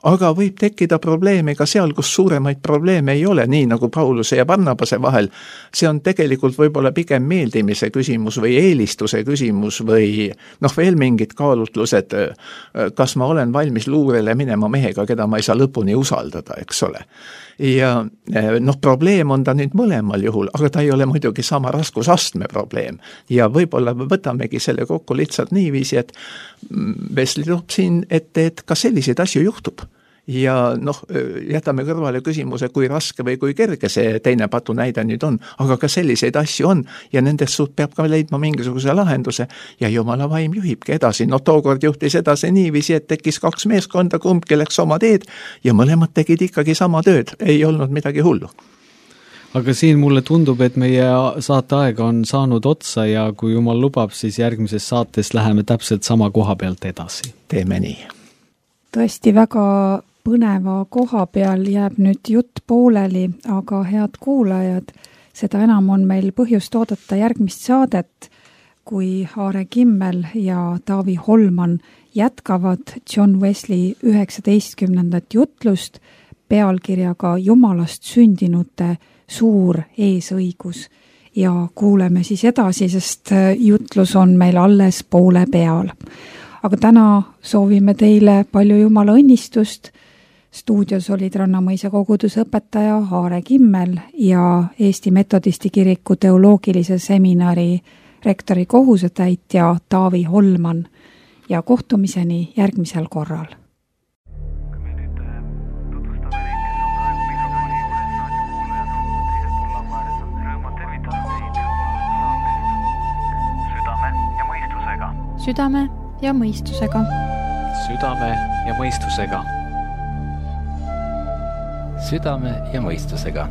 aga võib tekkida probleeme ka seal, kus suuremaid probleeme ei ole, nii nagu Pauluse ja Barnabase vahel. See on tegelikult võib-olla pigem meeldimise küsimus või eelistuse küsimus või noh, veel mingid kaalutlused, kas ma olen valmis luurele minema mehega, keda ma ei saa lõpuni usaldada, eks ole. Ja noh, probleem on ta nüüd mõlemal juhul, aga ta ei ole muidugi sama raskusastme probleem. Ja võib-olla võtamegi selle kokku lihtsalt niiviisi, et Wesley toob siin ette, et ka selliseid asju juhtub. Ja noh, jätame kõrvale küsimuse, kui raske või kui kerge see teine patu näide nüüd on, aga ka selliseid asju on ja nendest suht peab ka leidma mingisuguse lahenduse ja Jumala vaim juhibki edasi. No tookord juhtis edasi niiviisi, et tekkis kaks meeskonda, kumbki läks oma teed ja mõlemad tegid ikkagi sama tööd, ei olnud midagi hullu. Aga siin mulle tundub, et meie saateaega on saanud otsa ja kui Jumal lubab, siis järgmises saates läheme täpselt sama koha pealt edasi. Teeme nii. Tõesti väga põneva koha peal jääb nüüd jutt pooleli, aga head kuulajad, seda enam on meil põhjust oodata järgmist saadet, kui Aare Kimmel ja Taavi Holman jätkavad John Wesley üheksateistkümnendat jutlust pealkirjaga Jumalast sündinute suur eesõigus ja kuuleme siis edasi, sest jutlus on meil alles poole peal. Aga täna soovime teile palju Jumala õnnistust. Stuudios olid Rannamõisa kogudusõpetaja Aare Kimmel ja Eesti Metodisti kiriku teoloogilise seminari rektori kohusetäitja Taavi Holman ja kohtumiseni järgmisel korral. Südame ja mõistusega. Südame ja mõistusega. Südame ja mõistusega.